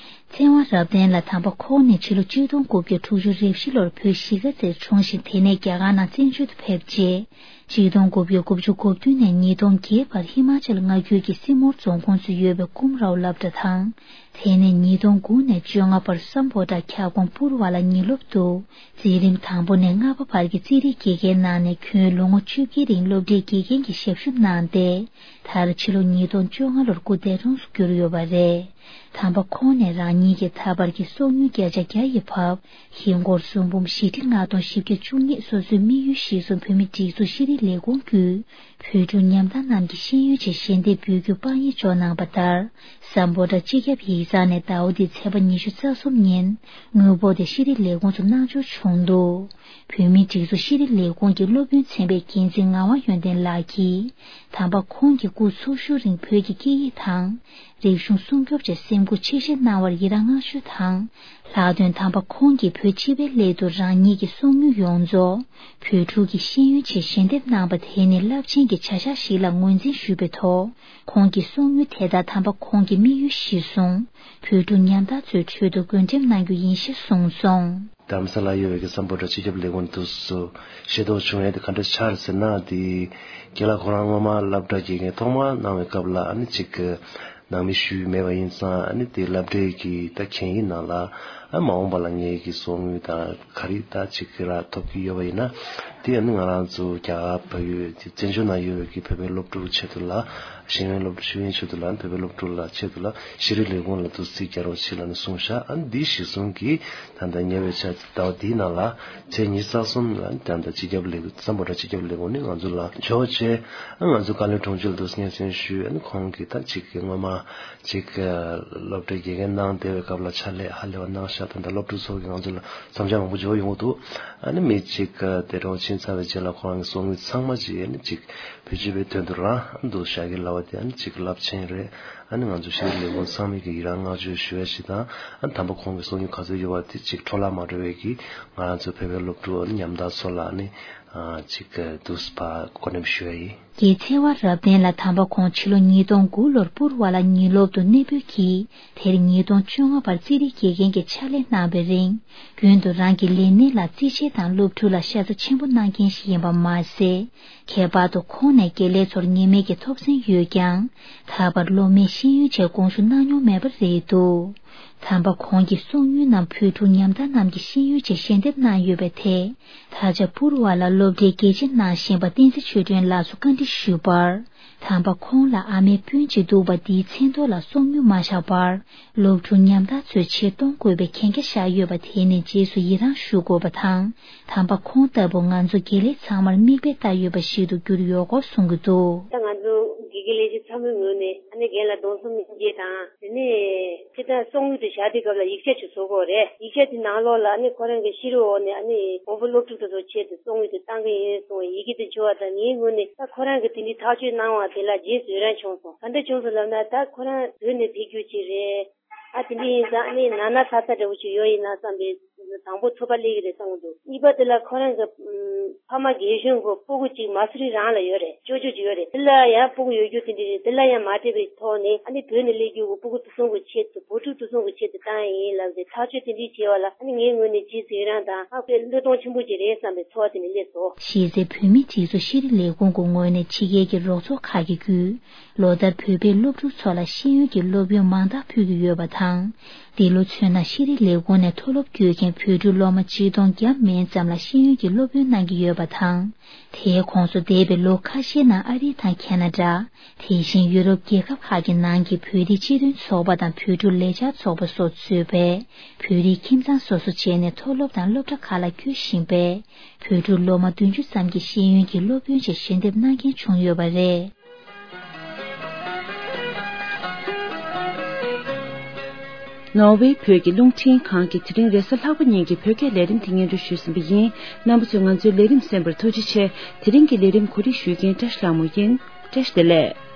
ཚེ་དབང་རབ་བརྟན་ལགས་དམ་པ་ཁོང་ནི་ཕྱི་ལོ་ཆིག་སྟོང་དགུ་བརྒྱ་དྲུག་ཅུ་རེ་བཞི་ལོར་བོད་གཞིས་ཀ་རྩེར་འཁྲུངས་ཤིང་། དེ་ནས་རྒྱ་གར་ནང་བཙན་བྱོལ་དུ་ཕེབས་རྗེས། ཆིག་སྟོང་དགུ་བརྒྱ་དགུ་བཅུ་གོ་བདུན་ནས་ཉིས་སྟོང་བརྒྱད་བར་ཧི་མ་ཅལ་མངའ་ཁུལ་གྱི་སིར་མོར་རྫོང་ཁོངས་སུ་ཡོད་པའི་ཀུམ་རའོ་སློབ་གྲྭ་དང་། དེ་ནས་ཉིས་སྟོང་དགུ་ནས་བཅོ་ལྔ་བར་སམ་བྷོ་ཊ་ཁྱབ་ཁོངས་པུར་བ་ལ་ཉིན་སློབ་ཏུ། འཛིན་རིམ་དང་པོ་ནས་ལྔ་པ་བར་གྱི་རྩིས་རིག་དགེ་རྒན་གནང་ནས། ཁྱོན་ལོ་ངོ་བཅུ་བརྒྱད་རིང་སློབ་གྲྭའི་དགེ་རྒན་གྱི་ཞབས་ཞུ་གནང་སྟེ། མཐར་ཕྱི་ལོ་ཉིས་སྟོང་བཅོ་ལྔ་ལོར་སྐུ་འདས་གྲོངས་སུ་གྱུར་ཡོད་པ་རེད། དམ་པ་ཁོང་ནས་རང་ཉིད་ཀྱི་ད་བར་གྱི་གསོག་དངུལ་བརྒྱ་ཆ་བརྒྱ་ཡིས་ཕབ། ཧིན་སྒོར་སུམ་འབུམ་བཞི་ཁྲི་ལྔ་སྟོང་བཞི་བརྒྱ་བཅུ་གཉིས། སོ་སོའི་དམིགས་ཡུལ་གཞིར་བཟུང་བོད་མིའི་སྒྲིག་འཛུགས་ཤེས་རིག་ལས་ཁུངས་བརྒྱུད། བོད་ཕྲུག་ཉམ་ཐག་རྣམས་ཀྱི་ཤེས་ཡོན་ཆེད་ཞལ་འདེབས་འབུལ་རྒྱུ་དཔང་ཡིག་འཇོག་གནང་བ་ལྟར། སམ་བྷོ་ཊ་སྤྱི་ཁྱབ་ཡིག་ཚང་ནས་ཟླ་བ་འདིའི་ཚེས་པ་ཉི་ཤུ་རྩ་གསུམ་ཉིན། དངུལ་འབོར་དེ་ཤེས་རིག་ལས་ཁུངས་སུ་གནང་འབྱོར་བྱུང་འདུག་བོད་མིའི་སྒྲིག་འཛུགས་ཤེས་རིག་ལས་ཁུངས་ཀྱི་སློབ་དཔོན་ཚན་པའི་འགན་འཛིན་ངག་དབང་ཡོན་ཏན་ལགས་ཀྱིས། དམ་པ་ཁོང་གིས་སྐུ་འཚོ་བཞུགས་རིང་བོད་ཀྱི་སྐད་ཡིག་དང་། རིག་གཞུང་སྲུང་སྐྱོབ་ཆེད་སེམས་ཁུར་ཆེ་བཞེས་གནང་བར་ཡི་རང་བསྔགས་བརྗོད་དང་། ལྷག་དོན་དམ་པ་ཁོང་གིས་བོད་སྤྱི་པའི་སླད་དུ་རང་ཉིད་ཀྱི་གསོག་དངུལ་ཡོངས་རྫོགས་བོད་ཕྲུག་གི་ཤེས་ཡོན་ཆེད་ཞལ་འདེབས་གནང་བ་དེ་ནི་རླབས་ཆེན་གྱི་བྱ་གཞག་ཞིག་ལ་ངོས་འཛིན་ཞུས་པའི་ཐོག་ཁོང་གི་གསོག་དངུལ་དེ་དག་དམ་པ་ཁོང་གི་དམིགས་ཡུལ་གཞིར་བཟུང་། བོད་ཕྲུག་ཉམ་ཐག་ཚོའི་ཁྲོད་དུ་བགོ་འགྲེམས་གནང་རྒྱུ་ཡིན་ཞེས་གསུངས་སོང་། རྡ་རམ་ས་ལ་ཡོད་པའི་གི་སམ་བྷོ་ཊ་སྤྱི་ཁྱབ་ལས་ཁུངས་དུ་སུ་ཤེས་རྟོགས་བྱུང་ཡས་དེ་ག་འདྲ་ཆགས་རེད་ཟེར་ན། དེ་རྒན་ལགས་ཁོ་རང་སྔོན་མ་སློབ་གྲྭ་དགེ་རྒན་ཐོག་མ་གནང་བའི་སྐབས་ལ་ཨ་ནི་ཅིག་གི་ནང་མི་ཞུས་མེད་པ་ཡིན་ཙང་། ཨ་ནི་དེ་སློབ་གྲྭའི་གི་ད་གན་ཡིག་ནང་ལ་ཨ་མ་འོངས་པ་ལ་ངའི་གི་གསོག་དངུལ་དང་ག་རེ་ད་ཅིག་གི་ར་ཐོབ་ཀྱི་ཡོད་པ་ཡིན་ན། དེ་ཨ་ནི་ང་རང་ཚོ་རྒྱ་གར་བལ་ཡུལ་དེ་བཙན་བྱོལ་ནང་ཡོད་པའི་གི་བོད་པའི་སློབ་ཕྲུག་ཆེད་དུ་ལ། ཤེས་ཡོན་སློབ་ཕྲུག་ཤེས་ཡོན་ཆེད་དུ་ལ་བོད་པའི་སློབ་ཕྲུག་ལ་ཆེད་དུ་ལ་ཤེས་རིག་ལས་ཁུངས་ལ་དུ་རྩིས་རྒྱག་རོགས་བྱེད་ལབ་ནས་གསུངས་ཤག་ཨ་ནི་འདི་གཞིར་བཟུང་གིས་ད་ལྟ་ཉེ་བའི་ཆར་ཟླ་བ་འདིའི་ནང་ལ་ཚེས་ཉི་ཤུ་རྩ་གསུམ་ལ་ད་ལྟ་སྤྱི་ཁྱབ་ལས་ཁུངས་སམ་བྷོ་ཊ་སྤྱི་ཁྱབ་ལས་ཁུངས་ནས་ང་ཚོ་ལ་འབྱོར་བྱས། ཨ་ང་ཚོ་བཀའ་བློན་དྲུང་ཆེ་ལ་དུ་སྙན་སེང་ཞུས། ཨ་ནི་ཁོང་གིས་ད་ཅིག་གི་སྔོན་མ་ཅིག་སློབ་གྲྭའི་དགེ་རྒན་གནང་བསྡད་པའི་སྐབས་ལ་ཕྱག་ལས་ཧ་ལས་པ་གནང་ཤག་ད་ལྟ་སློབ་ཕྲུག་ཚོ་གིས་ང་ཚོ་ལ་མཚམས་འཇོག་མང་པོ་འབྱོར་ཡོང་གི་འདུག་ཨ་ནི་མི་གཅིག་དེ་གྲོངས་ཕྱིན་ཚར་བའི་རྗེས་ལ་ཁོ་རང་གི་གསོག་དངུལ་ཚང་མ་ཅིག་ཨ་ནི་ཅིག་བོད་སྤྱི་པའི་དོན་དུ་རང་འདུག་བཞག་གི་ལབ་པ་དེ་ཨ་ནི་ཅིག་རླབས་ཆེན་རེད། ཨ་ནི་ང་ཚོ་ཤེས་རིག་ལས་ཁུངས་ཚང་མས་ཀྱི་ཡི་རང་བསྔགས་བརྗོད་ཞུ་ཡ་ཞིག་དང་། ཨ་ནི་དམ་པ་ཁོང་གི་གསོག་དངུལ་ག་ཚོད་ཡོད་པ་དེ་ཅིག་འཕྲོ་བརླག་མ་འགྲོ་བའི་གི་ང་རང་ཚོ་བོད་པའི་སློབ་ཕྲུག་ཨ་ནི་ཉམ་ཐག་ཚོ་ལ་ཨ་ནི་ཅིག་འདུག་སེ་བགོ་འགྲེམས་ཞུ་ཡ་ཡིན། རྒན་ཚེ་དབང་རབ་བརྟན་ལགས་དམ་པ་ཁོང་ཕྱི་ལོ་ཉིས་སྟོང་དགུ་ལོར་པུར་བ་ལ་ཉིན་སློབ་ཏུ་གནས་སྤོས་ཀྱིས། དེར་ཉིས་སྟོང་བཅོ་ལྔ་བར་རྩིས་རིག་དགེ་རྒན་གྱི་ཕྱག་ལས་གནང་བའི་རིང་། རྒྱུན་དུ་རང་གི་ལས་གནས་ལ་རྩིས་ཆེན་དང་སློབ་ཕྲུག་ལ་ཤ་ཚ་ཆེན་པོ་གནང་མཁན་ཞིག་ཡིན་པ་མ་ཟད། ཁྱད་པར་དུ་ཁོང་ནས་དགེ་ལས་ཚོར་ངེས་མེད་ཀྱི་ཐོབ་ཚན་ཡོད་ཀྱང་། ད་བར་སློབ་མའི་ཤེས་ཡོན་ཆེད་དགོངས་ཞུ་གནང་མྱོང་མེད་པ་རེད་འདུག་དམ་པ་ཁོང་གི་གསོག་དངུལ་རྣམས་བོད་ཕྲུག་ཉམ་ཐག་རྣམས་ཀྱི་ཤེས་ཡོན་ཆེད་ཞལ་འདེབས་གནང་ཡོད་པའི་ཐད། ད་ཆ་པུར་བ་ལ་སློབ་གྲྭའི་དགེ་ཆེ་གནང་བཞིན་པ་བསྟན་འཛིན་ཆོས་སྒྲོན་ལགས་སུ་བཀའ་འདྲི་ཞུས་པར། དམ་པ་ཁོང་ལ་ཨ་མའི་སྤུན་གཅིག་འདུག་པ་འདིའི་མཚན་ཐོག་ལ་གསོག་དངུལ་མ་བཞག་པར། སློབ་ཕྲུག་ཉམ་ཐག་ཚོའི་ཆེད་གཏོང་དགོས་པའི་གན་རྒྱ་བཞག་ཡོད་པ་དེ་ནི་རྗེས་སུ་ཡི་རང་ཞུ་དགོས་པ་དང་། དམ་པ་ཁོང་ལྟ་བུ་ང་ཚོ་དགེ་ལས་ཚང་མར་མིག་དཔེ་ལྟ་ཡོད་པ་ཞིག་ཏུ་གྱུར་ཡོད་སྐོར་གསུང་གི་འདུག་ད་ང་ཚོ་དགེ་རྒན་ལས་བྱེད་ཚང་མའི་ངོས་ནས་ཨ་ནི་རྒན་ལ་གདུང་སེམས་མཉམ་སྐྱེད་དང་། དེ་ནས་ཁྱེད་ད་གསོག་དངུལ་དེ་བཞག་དུས་སྐབས་ལ་ཡིག་ཆ་ཅིག་བཟོ་དགོས་རེད། ཡིག་ཆ་དེ་ནང་ལོགས་ལ་ཨ་ནི་ཁོ་རང་གི་ཤེས་རིག་འོག་ནས་ཨ་ནི་མགོན་པོ་སློབ་ཕྲུག་དེ་ཚོ་ཆེད་དུ་གསོག་དངུལ་དེ་བཏང་གི་ཡིན་གསུངས་པའི་ཡི་གེ་དེ་འབྱོར་བ་དང་། ངའི་ངོས་ནས་ད་ཁོ་རང་གི་དེ་འདྲའི་ཐག་གཅོད་གནང་བ་དེ་ལ་རྗེས་སུ་ཡི་རང་བྱུང་སོང་། ག་འདྲ་བྱུང་སོང་ལབ་ན། ད་ཁོ་རང་བོད་ནས་ཕེབས་རྒྱུ་ཅིག་རེད། ཨ་དེ་འདྲ་ཡིན་ཙང་ཨ་ནི་ན་ན་ཚ་ཚ་འདྲ་བོ་ཅིག་ཡོད་ཡིན་ན་བསམ་པའི་དང་པོ་ཚོད་དཔག་སླེབས་ཀྱི་རེད་བསམ་གྱི་འདུག་གཉིས་པ་དེ་ལ་ཁོ་རང་གི་ཕ་མ་རྒན་གཞོན་གྱི་སྤུ་གུ་གཅིག་མ་སུ་རི་རང་ལ་ཡོད་རེད། ཅོ་ཅོ་ཅིག་ཡོད་རེད། དེ་ལ་ཡང་སྤུ་གུ་ཡོད་རྒྱུ་དེ་འདྲ་རེད། དེ་ལ་ཡང་མ་སྤྲད་པའི་ཐོག་ནས་ཨ་ནི་བོད་ནས་སླེབས་རྒྱུ་གི་སྤུ་གུ་དེ་ཚོ་གི་ཆེད་དུ་བུ་ཕྲུག་དེ་ཚོ་གི་ཆེད་དུ་བཏང་ཡིན་ལབ་སྟེ་ཐག་གཅོད་དེ་འདྲ་བྱས་པ་ལ་ཨ་ནི་ངའི་ངོས་ནས་རྗེས་སུ་ཡི་རང་དང་ཨ་ཁོས་བློས་གཏོང་ཆེན་པོ་ཅིག་རེད་བསམ་པའི་ཚོར་བ་དེ་འདྲ་སླེབས་སོང་། གཞི་རྩའི་བོད་མིའི་སྒྲིག་འཛུགས་ཤེས་རིག་ལས་ཁུངས་ཀྱི་ངོས་ནས་ཕྱི་རྒྱལ་གྱི་རོགས་ཚོགས་ཁག་གིས་བརྒྱུད། ལོ་ལྟར་བོད་པའི་སློབ་ཕྲུག་ཚོ་ལ་ཤེས་ཡོན་གྱི་སློབ་ཡོན་མང་དག་ཕུལ་གྱི་ཡོད་པ་དང་། འདི་ལོ་མཚོན་ན་ཤེས་རིག་ལས་ཁུངས་ནས་མཐོ་སློབ་བསྐྱོད་མཁན་བོད་ཕྲུག་སློབ་མ་ཆིག་སྟོང་བརྒྱ་མན་ཙམ་ལ་ཤེས་ཡོན་གྱི་སློབ་སྟོན་གནང་གི་ཡོད་པ་དང་། དེའི་ཁོངས་སུ་འདས་པའི་ལོ་ཁ་ཤས་ནང་ཨ་རིའི་དང་ཁེ་ན་ཌ། དེ་བཞིན་ཡུ་རོབ་རྒྱལ་ཁབ་ཁག་གི་ནང་གི་བོད་རིགས་སྤྱི་མཐུན་ཚོགས་པ་དང་བོད་ཕྲུག་ལས་འཆར་ཚོགས་པ་སོགས་གཙོས་པའི་བོད་རིགས་ཁྱིམ་ཚང་སོ་སོ་བྱས་ནས་མཐོ་སློབ་དང་སློབ་གྲྭ་ཁག་ལ་བསྐྱོད་བཞིན་པའི་བོད་ཕྲུག་སློབ་མ་བདུན་ཅུ་ཙམ་གྱི་ཤེས་ཡོན་གྱི་སློབ་སྟོན་ཆེད་ཞལ་འདེབས་གནང་མཁན་བྱུང་ཡོད་པ་རེད། ནོར་ཝེ་བོད་ཀྱི་རླུང་འཕྲིན་ཁང་གིས་དེ་རིང་རེས་གཟའ་ལྷག་པ་ཉིན་གྱི་བོད་སྐད་ལས་རིམ་དེ་སྙན་སྒྲོན་ཞུས་ཟིན་པ་ཡིན། རྣམ་པ་ཚོས་ང་ཚོའི་ལས་རིམ་གསན་པར་ཐུགས་རྗེ་ཆེ། དེ་རིང་གི་ལས་རིམ་གོ་སྒྲིག་ཞུ་མཁན་བཀྲ་ཤིས་ལྷ་མོ་ཡིན། བཀྲ་ཤིས་བདེ་ལེགས།